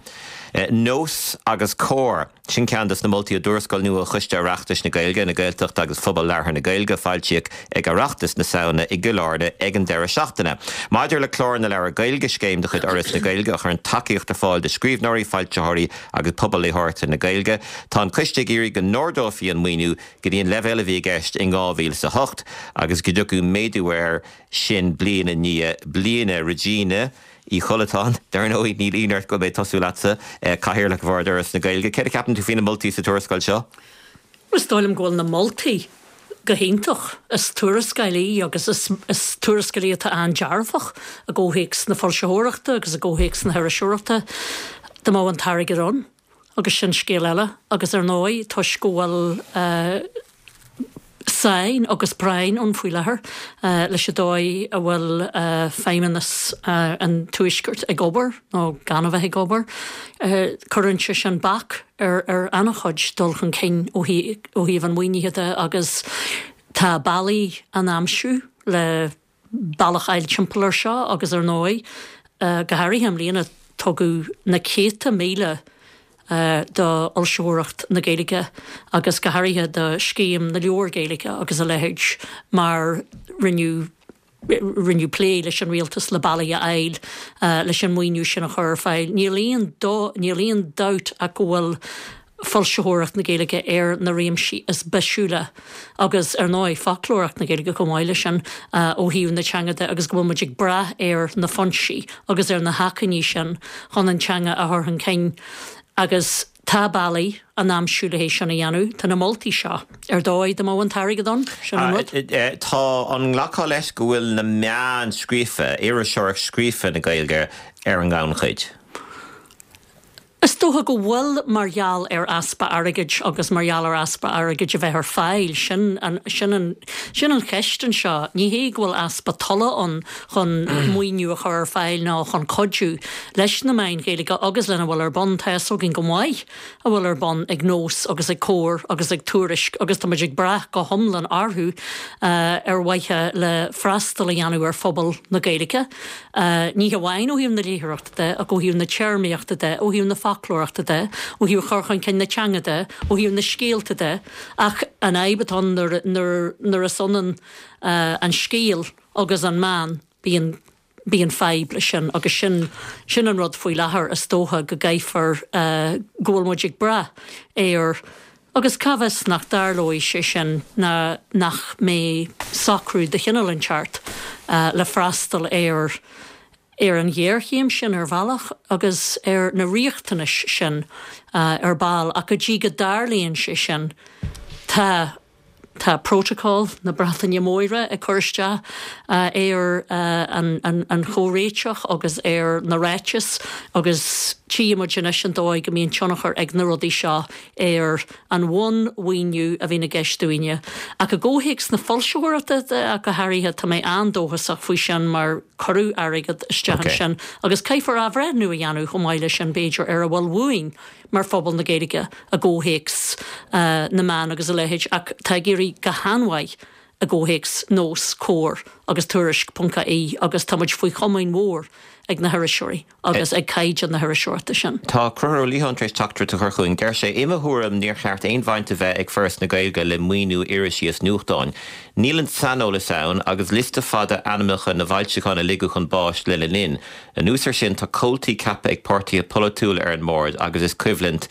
Nós agus Comhar. Sin ceann de na moltaí i dtuarascáil nua Choiste Oireachtais na Gaeilge, na Gaeltachta agus Phobal Labhartha na Gaeilge a foilsíodh ag Oireachtas na Samhna i gCill Airne ag an deireadh seachtaine. Maidir le Clár na Leabhar Gaeilge, scéim de chuid Fhoras na Gaeilge a chuireann tacaíocht ar fáil do scríbhneoirí, foilsitheoirí agus pobal léitheoireachta na Gaeilge, tá an Coiste ag iarraidh go n-ardófaí an maoiniú go dtí an leibhéal a bhí i gceist in dhá mhíle is a hocht agus go dtiocfadh méadú air sin bliain i ndiaidh bliana. Regina Uí Chollatáin, Dar ndóigh, níl ionadh ort go bhfuil mé ag tosú leatsa, Cathaoirleach Bhord Fhoras na Gaeilge. Céard a cheapann tú faoi na moltaí sa tuarascáil seo? Is dóigh liom go bhfuil na moltaí go hiontach. Is tuarascáil í agus is tuarascáil í atá an-dearfach i gcomhthéacs na foilsitheoireachta agus i gcomhthéacs na hiriseoireachta. Dá mbeadh an t-airgead ann, agus sin scéal eile. Agus ar ndóigh, toisc go bhfuil sáinn agus práinn ann faoi láthair leis an dóigh a bhfuil feidhmeannas an Tuaiscirt ag obair, nó gan a bheith ag obair, cuireann sé sin bac ar ar an-chuid dul chun cinn ó thaobh an mhaoinithe de agus tá bealaí á n-aimsiú le bealach a fháil timpeall air seo agus ar ndóigh, go háirithe i mbliana, tugadh na céadta míle do fhoilsitheoireacht na Gaeilge agus go háirithe do Scéim na Leabhar Gaeilge agus a leithéid mar rinneadh rinneadh plé leis an rialtas le bealaí a fháil leis an maoiniú sin a chur ar fáil. Níl aon níl aon dabht ach go bhfuil foilsitheoireacht na Gaeilge ar na réimsí is bisiúla agus, ar ndóigh, foclóireacht na Gaeilge chomh maith leis sin ó thaobh na teanga de agus go bhfuil muid ag brath ar na foinsí agus ar na hacmhainní sin chun an teanga a chur chun cinn agus tá bealaí á n-aimsiú le hé sin a dhéanamh. Tá na moltaí seo ar dóigh dá mbeadh an t-airgead ann, sin an rud. Tá an nglacfá leis go bhfuil na meáin scríofa, iriseoireacht scríofa na Gaeilge ar an ngannchuid? Is dócha go bhfuil mar gheall ar easpa airgid agus mar gheall ar easpa airgid a bheith ar fáil sin an, sin an, sin an cheist anseo. Ní hé go bhfuil easpa tola ann chun maoiniú a chur ar fáil ná chun cuidiú leis na meáin Ghaeilge agus lena bhfuil ar bun tá a fhios againn go maith a bhfuil ar bun ag Nós agus ag Comhar agus ag Tuairisc agus tá muid ag brath go hiomlán orthu uh, ar mhaithe le freastal a dhéanamh ar phobal na Gaeilge. Uh, ní hamháin ó thaobh na léitheoireachta de, ach ó thaobh na téarmaíochta de, ó thaobh na foclóireachta de, ó thaobh chur chun cinn na teanga de, ó thaobh na scéalta de, ach an fhadhb atá nuair, nuair, nuair is ionann uh, an scéal agus an meán bíonn bíonn fadhb leis sin agus sin sin an rud faoi láthair is dócha go gcaithfear uh, go bhfuil muid ag brath ar agus cá bhfios nach dtarlóidh sé sin ná nach mbeidh socrú de chineál inteacht uh, le freastal ar ar an ghéarchéim sin ar bhealach agus ar na riachtanais sin uh, ar ball ach go dtí go dtarlaíonn sé sin tá tá protocol na Breataine Móire ag cur isteach uh, ar uh, an, an, an chomhréiteach agus ar na ráitis agus tchímid anois an dóigh go mbíonn tionchar ag na rudaí seo ar an bhunmhaoiniú a bhíonn i gceist dúinne. Ach i gcomhthéacs na foilsitheoireachta ach go háirithe tá mé an-dóchasach faoi sin mar cuireadh airgead isteach Okay. sin agus caithfear athbhreithniú a dhéanamh chomh maith leis sin b'fhéidir ar a bhfuil uainn mar phobal na Gaeilge i gcomhthéacs uh, na meán agus a leithéid ach tá ag éirí go han-mhaith i gcomhthéacs Nós Comhar agus Tuairisc ponc ie agus táimid faoi chomaoin mhór ag na hiriseoirí agus ag caighdeán na hiriseoireachta sin. Tá Conchúr Ó Liatháin tar éis teachtaireacht a chur chugainn deir sé i mo thuairim níor cheart aon bhaint a bheith ag Foras na Gaeilge le maoiniú irisí is nuachtáin. Níl an saineolas ann agus liosta fada ainmneacha na bhfoilseachán a ligeadh chun báis lena linn. Anuas air sin tá comhaltaí ceaptha ag páirtithe polaitiúla ar an mbord agus is coimhlint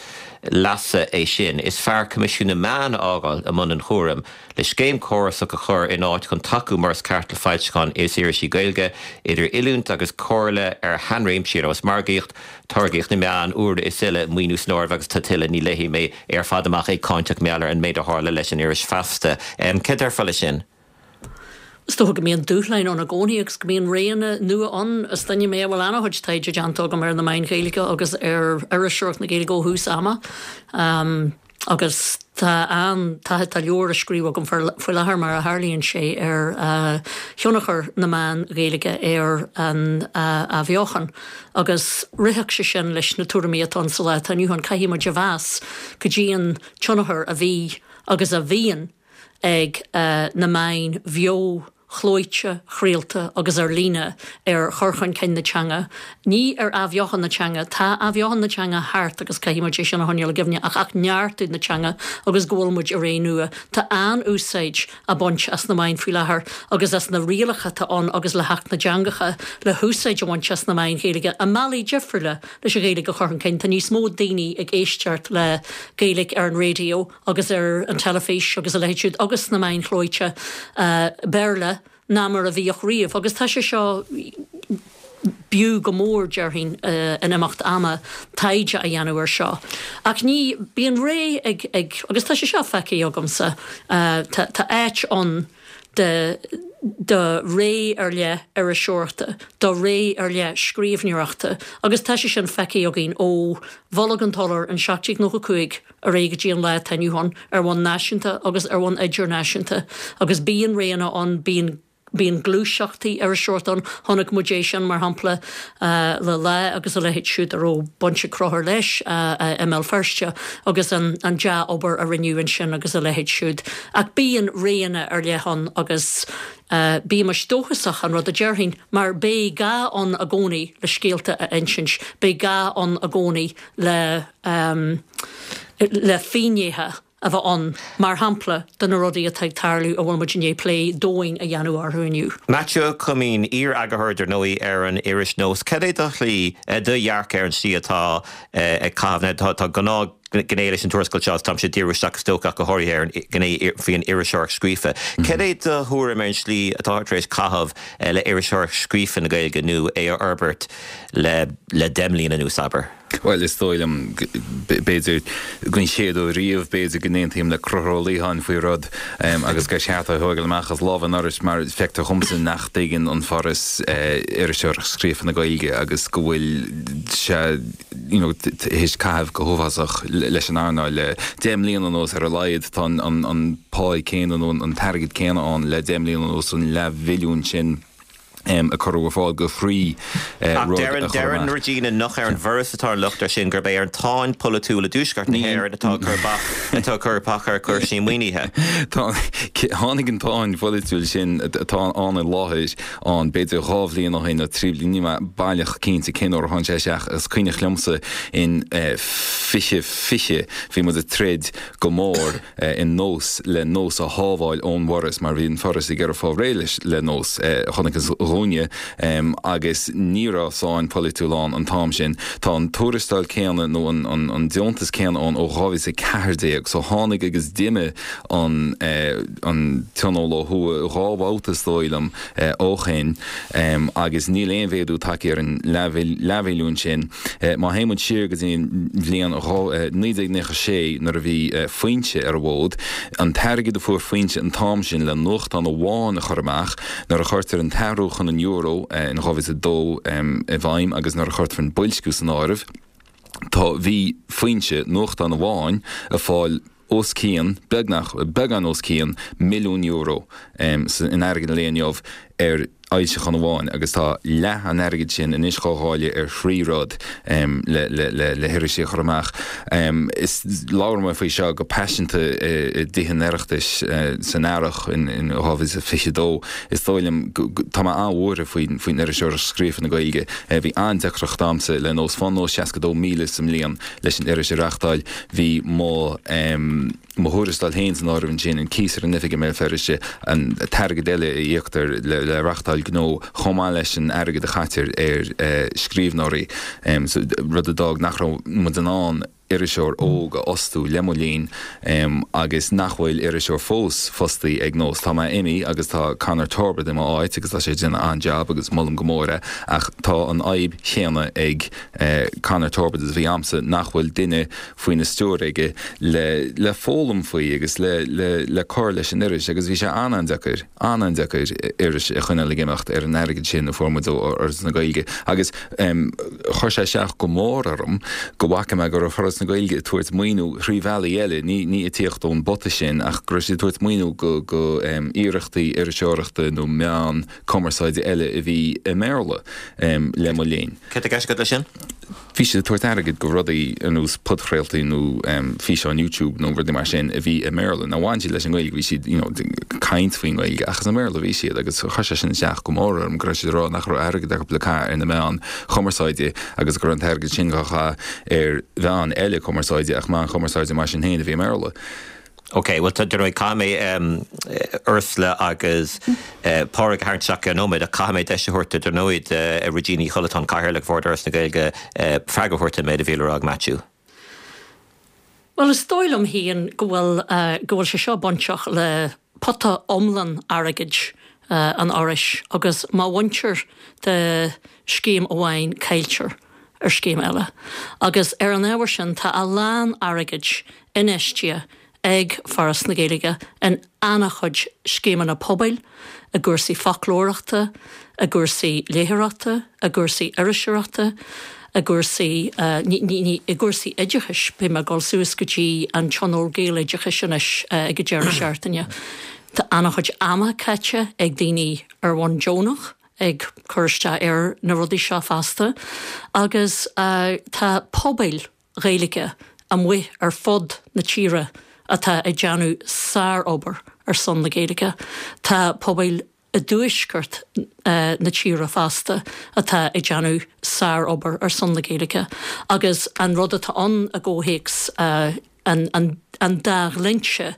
leasa é sin. Is fearr Coimisiún na Meán a fhágáil i mbun an chúraim, le scéim chórasach a chur in áit chun tacú mar is ceart le foilseacháin is irisí Gaeilge, idir oiliúint agus comhairle ar shainréimsí ar nós margaíocht, táirgeadh na meán úr is eile maoiniú san áireamh agus tá tuilleadh ní léifidh mé ar fad amach é cáinteach mar gheall ar an méid a tharla leis an iris Feasta. Um, Cad déarfá leis sin? Is dócha go mbíonn dúshláin ann i gcónaí agus go mbíonn réanna nua ann is duine mé bhfuil an-chuid taighde déanta agam ar na meáin Ghaeilge agus ar iriseoireacht na Gaeilge ó thús ama. Um, agus tá an tá tá leabhar á scríobh agam faoi láthair mar a tharlaíonn sé ar uh, thionchar na meán Gaeilge ar an uh, athbheochan. agus ritheann sé sin leis na tuairimí atá sa lá inniu ann caithfidh muid a mheas go dtí an tionchar a bhí agus a bhíonn ag uh, na meáin bheo chlóite, chraolta agus ar líne ar chur chun cinn na teanga. Ní ar athbheochan na teanga, tá athbheochan na teanga thart agus caithfidh muid sin a choinneáil i gcuimhne ach ach neartú na teanga agus go bhfuil muid i ré nua. Tá an-úsáid á baint as na meáin faoi láthair agus as na rialacha atá ann agus le hAcht na dTeangacha le húsáid a bhaint as na meáin Ghaeilge i mbealaí difriúla leis an Ghaeilge a chur chun cinn. Tá níos mó daoine ag éisteacht le Gaeilge ar an raidió agus ar an teilifís agus a leithéid agus na meáin chlóite uh, Béarla ná mar a bhíodh riamh, agus tá sé seo b'fhiú go mór déarfainn uh, in imeacht ama taighde a dhéanamh ar seo. Ach ní bíonn ré ag, ag agus tá sé seo feicthe agamsa uh, tá, tá áit ann de de ré ar leith iriseoireachta, do ré ar leith scríbhneoireachta, agus tá sé sin feicthe againn ó Bholg an tSolais in seacht déag nócha cúig ar aghaidh go dtí an lá atá inniu ann ar bhonn náisiúnta agus ar bhonn idirnáisiúnta, agus bíonn réanna ann bíonn bíonn gluaiseachtaí iriseoireachta ann chonaic muid é sin mar shampla uh, le Lá agus a leithéid siúd a raibh baint ag Conchúr leis uh, uh, i mBéal Feirste agus an, an dea-obair a rinneadh ansin agus a leithéid siúd. Ach bíonn réanna ar leith ann agus uh, bímis dóchasach an rud a déarfainn, mar beidh gá ann i gcónaí le scéalta a insint, beidh gá ann i gcónaí le, um, le finnéithe a bheith ann mar shampla de na rudaí atá ag tarlú a bhfuil muid ag plé domhain a dhéanamh orthu inniu. Matthew Cuimín iar-eagarthóir ar ndóigh ar an iris Nós. Cad é do shlí do dhearcadh ar an slí atá ag caitheamh tá gnáth gné leis an tuarascáil seo, táimse ag díriú isteach is dócha go háirithe ar an gné faoin iriseoireacht scríofa. Cad é do thuairim ar an slí atá tar éis caitheamh le iriseoireacht scríofa na Gaeilge nó é a fhorbairt le le deich mbliana anuas, abair? Bhuel, is dóigh liom, b'fhéidir, den chéad uair riamh, b'fhéidir go n-aontaím le Conchúr Ó Liatháin faoi rud agus gur cheart é a thógáil amach as lámha an Fhorais mar feictear dhomsa nach dtuigeann an Foras iriseoireacht scríofa na Gaeilge agus go bhfuil sé you know théis caitheamh go huafásach leis an earnáil le deich mbliana anuas ar a laghad. Tá an pá céanna nó an t-airgead céanna ann le deich mbliana anuas, an leathmhilliún sin. a cuireadh ar fáil do thrí rud a chur amach. Deireann Regina nach ar an bhForas atá an locht air sin, gurb é ar an tsáinn pholaitiúil i dTuaisceart na hÉireann atá ag cur bac atá ag cur bac ar chúrsaí maoinithe. Tá, tháinig an tsáinn pholaitiúil sin atá ann i láthair ann b'fhéidir dhá bhliain ó shin nó trí bliana, níl mé baileach cinnte cén uair a tháinig sé isteach. Is cuimhneach liomsa in fiche fiche bhí muid ag troid go mór in Nós le Nós a shábháil ón bhForas mar bhí an Foras ag iarraidh fáil réidh leis le Nós. Chonacthas dhúinne agus ní raibh sáinn pholaitiúil ann an t-am sin. Tá an tuarastal céanna nó an deontas céanna ann ó dhá mhíle is a ceathair déag so tháinig agus d'imigh an an Tionól ó thuaidh dhá bhabhta is dóigh liom ó shin agus níl aon mhéadú tagtha ar an leathmhilliún sin. Má théann muid siar go dtí an bhliain naoi déag nócha sé nuair a bhí Foinse ar an bhfód, an t-airgead a fuair Foinse an t-am sin le nuachtán amháin a chur amach, nuair a chuirtear an t-athrú chun an euro in dhá mhíle is a dó i bhfeidhm agus nuair a chuirtear an boilsciú san áireamh, tá, bhí Foinse, nuachtán amháin, ag fáil os cionn, beagnach, beagán os cionn milliún euro in airgead an lae inniu ar fhoilseachán amháin agus tá leath an airgid sin anois dhá dháileadh ar thrí rud le le le hirisí a chur amach. Is labhair mé faoi seo go paiseanta i dTithe an Oireachtais san earrach in dhá mhíle is fiche dó. Is dóigh liom go tá mé an-bhuartha faoin faoin iriseoireacht scríofa na Gaeilge. Bhí an-deacracht a'msa le Nós. Faigheann Nós seasca dó míle sa mbliain leis an iris a reachtáil. Bhí mo mo thuarastal féin san áireamh ansin, an cíos ar an oifig i mBéal Feirste, an t-airgead eile a íoctar le le reachtáil gnó, chomh maith leis an airgead a chaitear ar scríbhneoirí, rud a d'fhág nach raibh muid in ann iriseoir óg a fhostú le mo linn agus nach bhfuil iriseoir fós fostaí ag Nós. Tá mé imithe agus tá Conor Torbett i mo áit agus tá sé ag déanamh an-jab agus molaim go mór é ach tá an fhadhb chéanna ag Conor Torbett is a bhí a'msa nach bhfuil duine faoina stiúir aige le le foghlaim faoi agus le le le cur leis an iris agus bhí sé an-an-deacair an-an-deacair iris a choinneáil ag imeacht ar an airgead sin a fuair muid ó Fhoras na Gaeilge agus chuir sé isteach go mór orm go bhfaca mé go raibh Foras na Gaeilge ag tabhairt maoiniú thrí bhealaí eile, ní ní ag tíocht ón bpota sin ach go raibh siad ag tabhairt maoiniú go go iarrachtaí iriseoireachta nó meán cumarsáide eile a bhí i mBéarla le mo linn. Céard atá i gceist agat leis sin? Bhí siad ag tabhairt airgid go rudaí ar nós podchraoltaí nó físeáin YouTube nó rudaí mar sin a bhí i mBéarla. Now bhain siad leis an nGaeilge, bhí siad you know ag caint faoin nGaeilge ach is i mBéarla a bhí siad agus chuir sé sin isteach go mór orm go raibh siad ag rá nach raibh airgead acu le caitheamh ar na meáin chumarsáide agus go raibh an t-airgead sin dhá chaitheamh ar mheáin eile cumarsáide ach meáin chumarsáide mar sin féin a bhí i mBéarla. Ok, bhuel tá, dar ndóigh, caithfidh mé Ursula agus Pádraig a tharraingt isteach i gceann nóiméad ach caithfidh mé deis a thabhairt dar ndóigh do Regina Ní Chollatáin, Cathaoirleach Bhord Fhoras na Gaeilge, freagra a thabhairt ar an méid a bhí le rá ag Maitiú. Bhuel, is dóigh liom féin go bhfuil, go bhfuil sé seo bainteach le pota iomlán airgid an Fhorais agus má bhaintear de scéim amháin cailltear ar scéim eile. Agus ar an ábhar sin tá a lán airgid infheistithe ag Foras na Gaeilge in an-chuid scéimeanna pobail, i gcúrsaí foclóireachta, i gcúrsaí léitheoireachta, i gcúrsaí iriseoireachta, i gcúrsaí, ní, ní, ní, i gcúrsaí oideachais, beidh mé ag dul suas go dtí an Tionól Gaeloideachais anois ag an deireadh seachtaine. Tá an-chuid ama caite ag daoine ar bhonn deonach ag cur isteach ar na rudaí seo fosta agus tá pobail Ghaeilge amuigh ar fud na tíre atá ag déanamh sárobair ar son na Gaeilge. Tá pobail i dtuaisceart na tíre fosta atá ag déanamh sárobair ar son na Gaeilge agus an rud atá ann i gcomhthéacs an an dá dhlínse,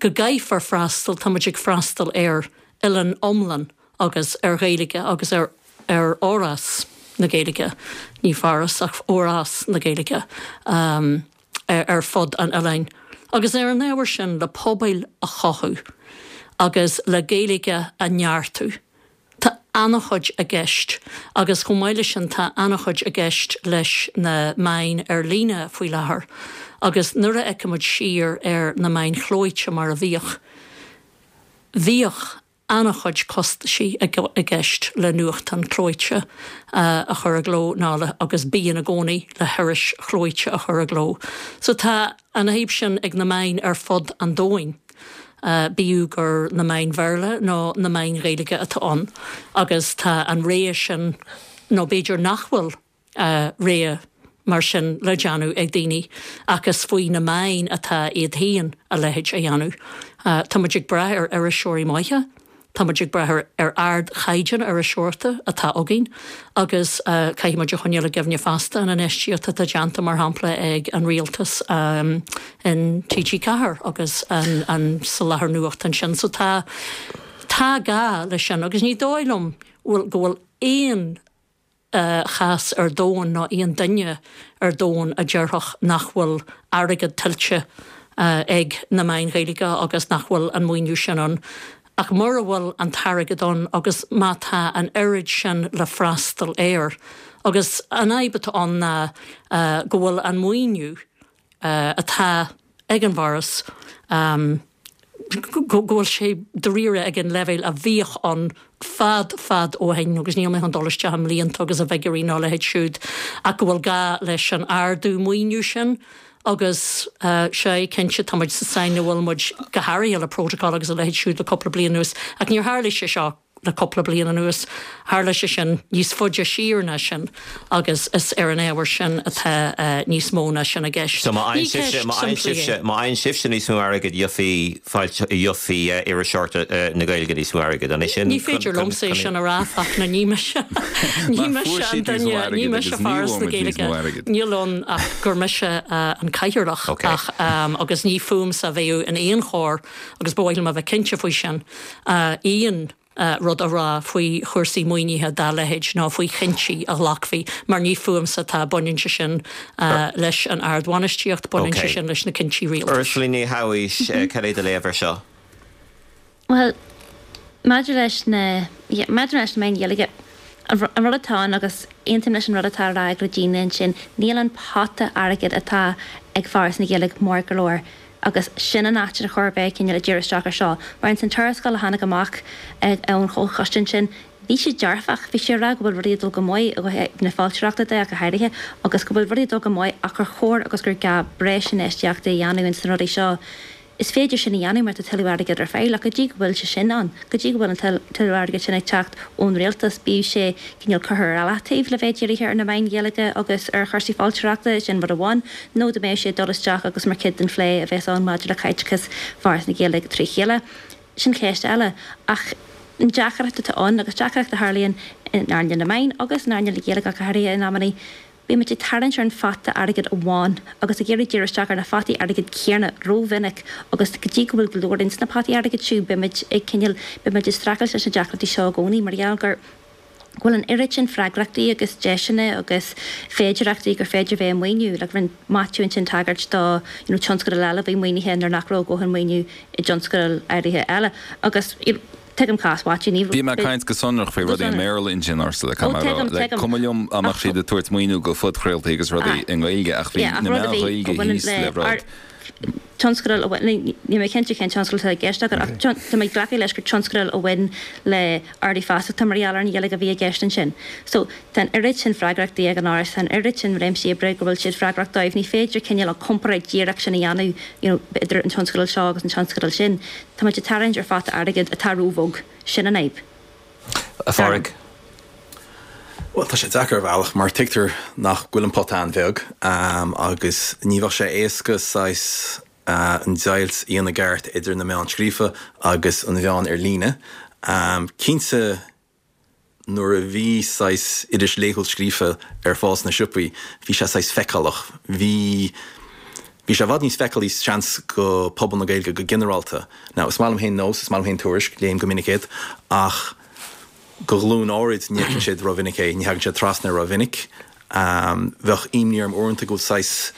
go gcaithfear freastal, tá muid ag freastal ar oileán iomlán agus ar Ghaeilge agus ar ar fhorás na Gaeilge, ní foras ach forás na Gaeilge. ar fud an oileáin. Agus ar an ábhar sin le pobail a chothú agus le Gaeilge a neartú. Tá an-chuid i gceist agus chomh maith leis sin tá an-chuid i gceist leis na meáin ar líne faoi láthair. Agus nuair a fheicimid siar ar na meáin chlóite mar a bhíodh, bhíodh an-chuid costaisí i gceist le nuachtán clóite a chur i gcló ná le agus bíonn i gcónaí le hiris chlóite a chur i gcló. So tá an fhadhb sin ag na meáin ar fud an domhain, bíodh gur na meáin Bhéarla nó na meáin Ghaeilge atá ann agus tá an rogha sin nó b'fhéidir nach bhfuil rogha mar sin le déanamh ag daoine ach is faoi na meáin atá iad féin a leithéid a dhéanamh. Tá muid ag brath ar iriseoirí maithe, tá muid ag brath ar ardchaighdeán iriseoireachta atá againn agus caithfidh muid a choinneáil i gcuimhne feasta an infheistíocht atá déanta mar shampla ag an rialtas in T G ceathair agus an soláthar nuachta ansin. So tá tá gá leis sin agus ní dóigh liom go bhfuil aon chás ar domhan ná aon duine ar domhan a déarfadh nach bhfuil airgead tuillte ag na meáin Ghaeilge agus nach bhfuil an maoiniú sin ann. Ach mura bhfuil an t-airgead ann agus má tá an oiread sin le freastal air, agus an fhadhb atá ann ná go bhfuil an maoiniú atá ag an bhForas, go bhfuil sé dáiríre ag an leibhéal a bhíodh ann fad fad ó shin, agus níl mé chun dul isteach i mblianta agus i bhfigiúirí ná a leithéid siúd, ach go bhfuil gá leis an ardú maoiniú sin agus sea, cinnte, tá muid sa sáinn a bhfuil muid go háirithe le Protocol agus a leithéid siúd le cúpla bliain anuas, ach níor tharla sé seo le cúpla bliain anuas, tharla sé sin níos faide siar ná sin agus is ar an ábhar sin atá níos mó ná sin i gceist. So má fhaigheann sibhse, má fhaigheann sibhse, má fhaigheann sibhse níos mó airgid, gheofaidh fáilte, gheofaidh iriseoireacht na Gaeilge níos mó airgid, an é sin? Ní féidir liomsa é sin a rá, Fachtna, ní mise, ní mise an duine, ní mise Foras na Gaeilge, níl ann ach gur mise an cathaoirleach ach agus ní fúmsa a bheadh in aon chor agus ba mhaith liom a bheith cinnte faoi sin, aon rud a rá faoi chúrsaí maoinithe dá leithéid ná faoi chinntí a ghlacfaí, mar ní fúmsa atá, baineann sé sin leis an ardbhainistíocht, baineann sé sin leis na cinntí rialtais. Ursula Ní Shabhaois, cad é do léamh air seo? Bhuel, maidir leis na, maidir leis na meáin Ghaeilge, an rud atá ann, agus aontaím leis an rud atá á rá ag Regina ansin, níl an pota airgid atá ag Foras na Gaeilge mór go leor. Agus sin an áit ar chóir a bheith cineál ag díriú isteach ar seo. Mar ins an tuarascáil a tháinig amach ón chomhchoiste ansin, bhí sé dearfach, bhí sé ag rá go bhfuil rudaí ag dul go maith ó thaobh na foilsitheoireachta de ach go háirithe, agus go bhfuil rudaí ag dul go maith ach gur chóir agus gur gá breis infheistíochta a dhéanamh ins na rudaí seo. Is féidir sin a dhéanamh mar tá tuilleadh airgid ar fáil ach go dtí go bhfuil sé sin ann, go dtí go bhfuil an tuilleadh airgid sin ag teacht ón rialtas, bíodh sé cineál curtha ar leataobh le bheith dírithe ar na meáin Ghaeilge agus ar chúrsaí foilsitheoireachta, sin rud amháin, nó dá mbeadh sé ag dul isteach agus mar chuid den phlé a bheas ann maidir le caiteachas Foras na Gaeilge trí chéile. Sin ceist eile. Ach an deacracht atá ann, agus deacracht a tharlaíonn in earnáil na meán agus in earnáil na Gaeilge ach go háirithe in amannaí, Bíonn muid ag tarraingt ar an phota airgid amháin agus ag iarraidh díriú isteach ar na potaí airgid céanna rómhinic agus go dtí go bhfuil go leor ins na potaí airgid siúd beimid ag cineál, beimid ag streachailt leis na deacrachtaí seo i gcónaí mar gheall gur, go bhfuil an oiread sin freagrachtaí agus deiseanna agus féidearthachtaí gur féidir bheith ag maoiniú. Like rinne Maitiú ansin tagairt do you know tionscadail eile a bhí maoinithe nuair nach raibh a dhóthain maoiniú i dtionscadail áirithe eile agus you know Tuigim cás Mhaitiú, ní. Bhí mé ag caint go sonrach faoi rudaí i mBéarla ansin, Ursula, caithfidh mé a rá. Like, cuma liom dá mbeadh siad ag tabhairt maoiniú go phodchraoltaí agus rudaí i nGaeilge ach bhí na meáin Ghaeilge thíos le rud. Tionscadal a bhain, níl mé cinnte cén tionscadal atá i gceist agat ach tá mé ag glacadh leis gur tionscadal a bhain le ardú feasachta mar gheall ar an Ghaeilge a bhí i gceist ansin. So, tá an oiread sin freagrachtaí ag an Fhoras, tá an oiread sin réimsí oibre go bhfuil siad freagrach dóibh, ní féidir cineál an comparáid díreach sin a dhéanamh you know idir an tionscadal seo agus an tionscadal sin. Tá muid ag tarraingt ar phota airgid atá róbheag. Sin an fhadhb. A Phádraig. Bhuel, tá sé deacair ar bhealach mar tuigtear nach bhfuil an pota an-bheag agus ní bheadh sé éasca saghas an deighilt a dhéanamh i gceart idir na meáin scríofa agus an mheán ar líne. Cinnte, nuair a bhí saghas iris laethúil scríofa ar fáil sna siopaí, bhí sé saghas feiceálach. Bhí bhí sé i bhfad níos feiceálaí seans go pobal na Gaeilge go ginearálta. Now, is maith liom féin Nós, is maith liom féin Tuairisc, léim go minic iad, ach go ghlúin áirid ní fheiceann siad rómhinic é, ní thagann sé trasna rómhinic. Bheadh imní orm uaireanta go bhfuil saghas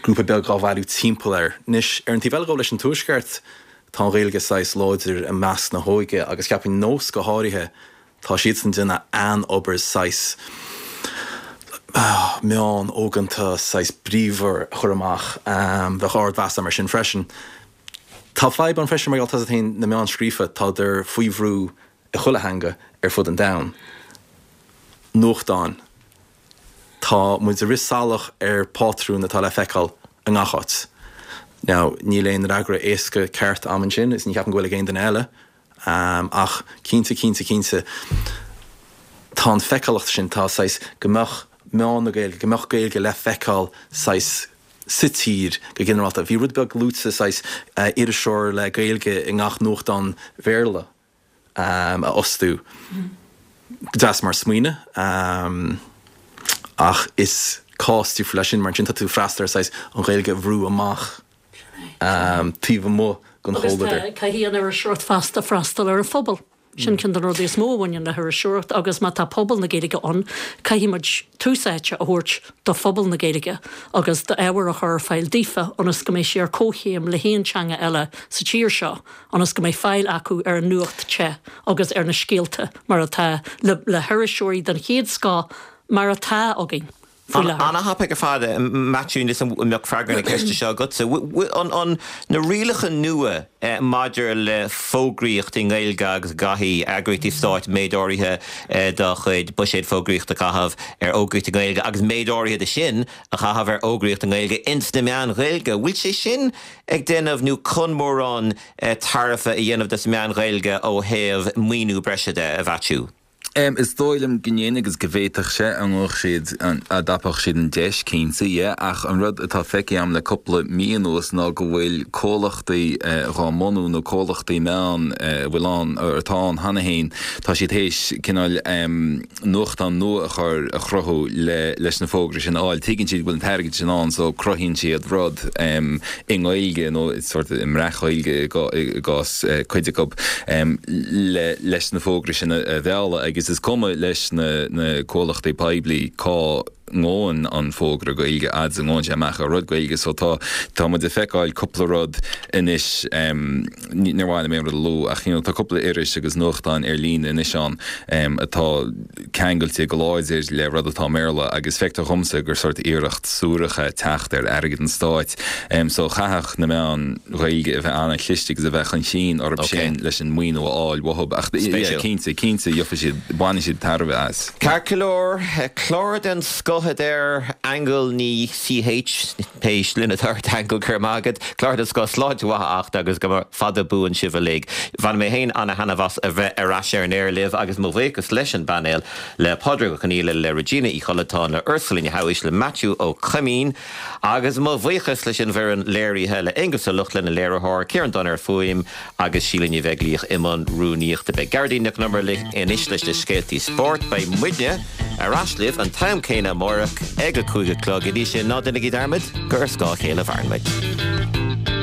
grúpa beag á bhailiú timpeall air. Anois, ar an taobh eile dhó leis an Tuaisceart, tá an Ghaeilge saghas láidir i measc na hóige agus cheapfainn Nós go háirithe, tá siadsan ag déanamh an-obair saghas meán óganta saghas bríomhar a chur amach. Bheadh ardmheas agam air sin freisin. Tá fadhb ann freisin mar gheall tá féin na meáin scríofa, tádar faoi bhrú i chuile theanga ar fud an domhain. Nuachtáin. Tá muid ag rith salach ar phátrún atá le feiceáil i ngach áit. Now, níl aon fhreagra éasca ceart a'm ansin, is ní cheapaim go bhfuil ag aon duine eile, ach cinnte, cinnte, cinnte, tá an feiceálacht sin, tá saghas, go mbeadh meán na Gaeilge, go mbeadh Gaeilge le feiceáil saghas sa tír go ginearálta. Bhí rud beag luaite saghas iriseoir le Gaeilge i ngach nuachtán Bhéarla. a fhostú. Deas mar smaoineamh, ach is cás difriúil é sin mar ansin tá tú ag freastal ar saghas an Ghaeilge a bhrú amach taobh amuigh den chomhluadar. Agus caithfidh an iriseoireacht feasta freastal ar an phobal. Sin ceann de na rudaí is mó a bhaineann le hiriseoireacht agus má tá pobal na Gaeilge ann, caithfidh muid tús áite a thabhairt do phobal na Gaeilge agus d'ábhar a chur ar fáil daofa ionas go mbeidh sé ar comhchéim le haon teanga eile sa tír seo. ionas go mbeidh fáil acu ar an nuacht te agus ar na scéalta mar atá le le hiriseoirí den chéad scoth mar atá againn faoi láthair. Ana-thapaidh ar fad, Maitiú, níl 'fhios a'm an mbeadh freagra na ceiste seo agatsa. An an na rialacha nua maidir le fógraíocht i nGaeilge agus go gcaithfidh eagraíochtaí stáit méid áirithe dá chuid buiséad fógraíochta a chaitheamh ar fhógraíocht i nGaeilge agus méid áirithe de sin a chaitheamh ar fhógraíocht i nGaeilge ins na meáin Ghaeilge, bhfuil sé sin ag déanamh nó chun mórán tairbhe a dhéanamh dos na meáin Ghaeilge ó thaobh maoiniú breise de, a Mhaitiú? Is dóigh liom go ndéanfaidh agus go bhféadfadh sé, an bhfuil siad, dá dtapódh siad an deis, cinnte, yeah, ach an rud atá feicthe agam le cúpla mí anuas ná go bhfuil comhlachtaí dhá mbunú nó comhlachtaí meán a bhfuil ann, atá ann cheana féin, tá siad théis cineál nuachtán nua a chur, a chruthú le, leis na fógraí sin a fháil. Tuigeann siad go bhfuil an t-airgead sin ann so cruthaíonn siad rud i nGaeilge nó sort i mbreac-Ghaeilge i gcás cuid acu le, leis na fógraí sin a mhealladh agus is cuma leis na, na comhlachtaí poiblí cá ngabhann an fógra Gaeilge fhad is a ngabhann sé amach ar rud Gaeilge so tá tá muid ag feiceáil cúpla rud anois níor mhaith liom aon rud a lua ach you know tá cúpla iris agus nuachtán ar líne anois ann atá ceangailte go láidir le rud atá i mBéarla agus feictear dhomsa gur sort iarracht suarach é teacht ar airgead an stáit so chaithfeadh na meáin Ghaeilge a bheith an-chliste agus a bheith chun cinn orthu sin leis an maoiniú a fháil uathu ach yeah cinnte cinnte gheobhaidh siad bainfidh siad tairbhe as. Ceart go leor, clár den scoth a deir Aingeal Ní CH, pé sloinne atá ort Aingeal, go raibh maith agat. Clár den scoth, sláinte mhaith a Fhachta agus go mba fada buan sibh uilig. Bhain mé féin ana-thaitneamh as a bheith ar ais ar an aer libh agus mo bhuíochas leis an bpainéal, le Pádraig Ó Conghaile, le Regina Uí Chollatáin, le Ursula Ní Shamhais, le Maitiú Ó Coimín agus mo bhuíochas leis an bhfoireann léirithe, le Aonghus Ó Lochlainn, an léiritheoir, Ciarán Dunne ar fuaim agus Síle Ní Bheaglaoich i mbun rúnaíochta. Beidh Gearóidín Nic Con Iomaire libh anois leis na scéaltaí spóirt. Beidh muidne ar ais libh an t-am céanna amáireach ag a cúig a chlog. Go dtí sin, ná déanaigí dearmad gur ar scáth a chéile a mhaireann muid.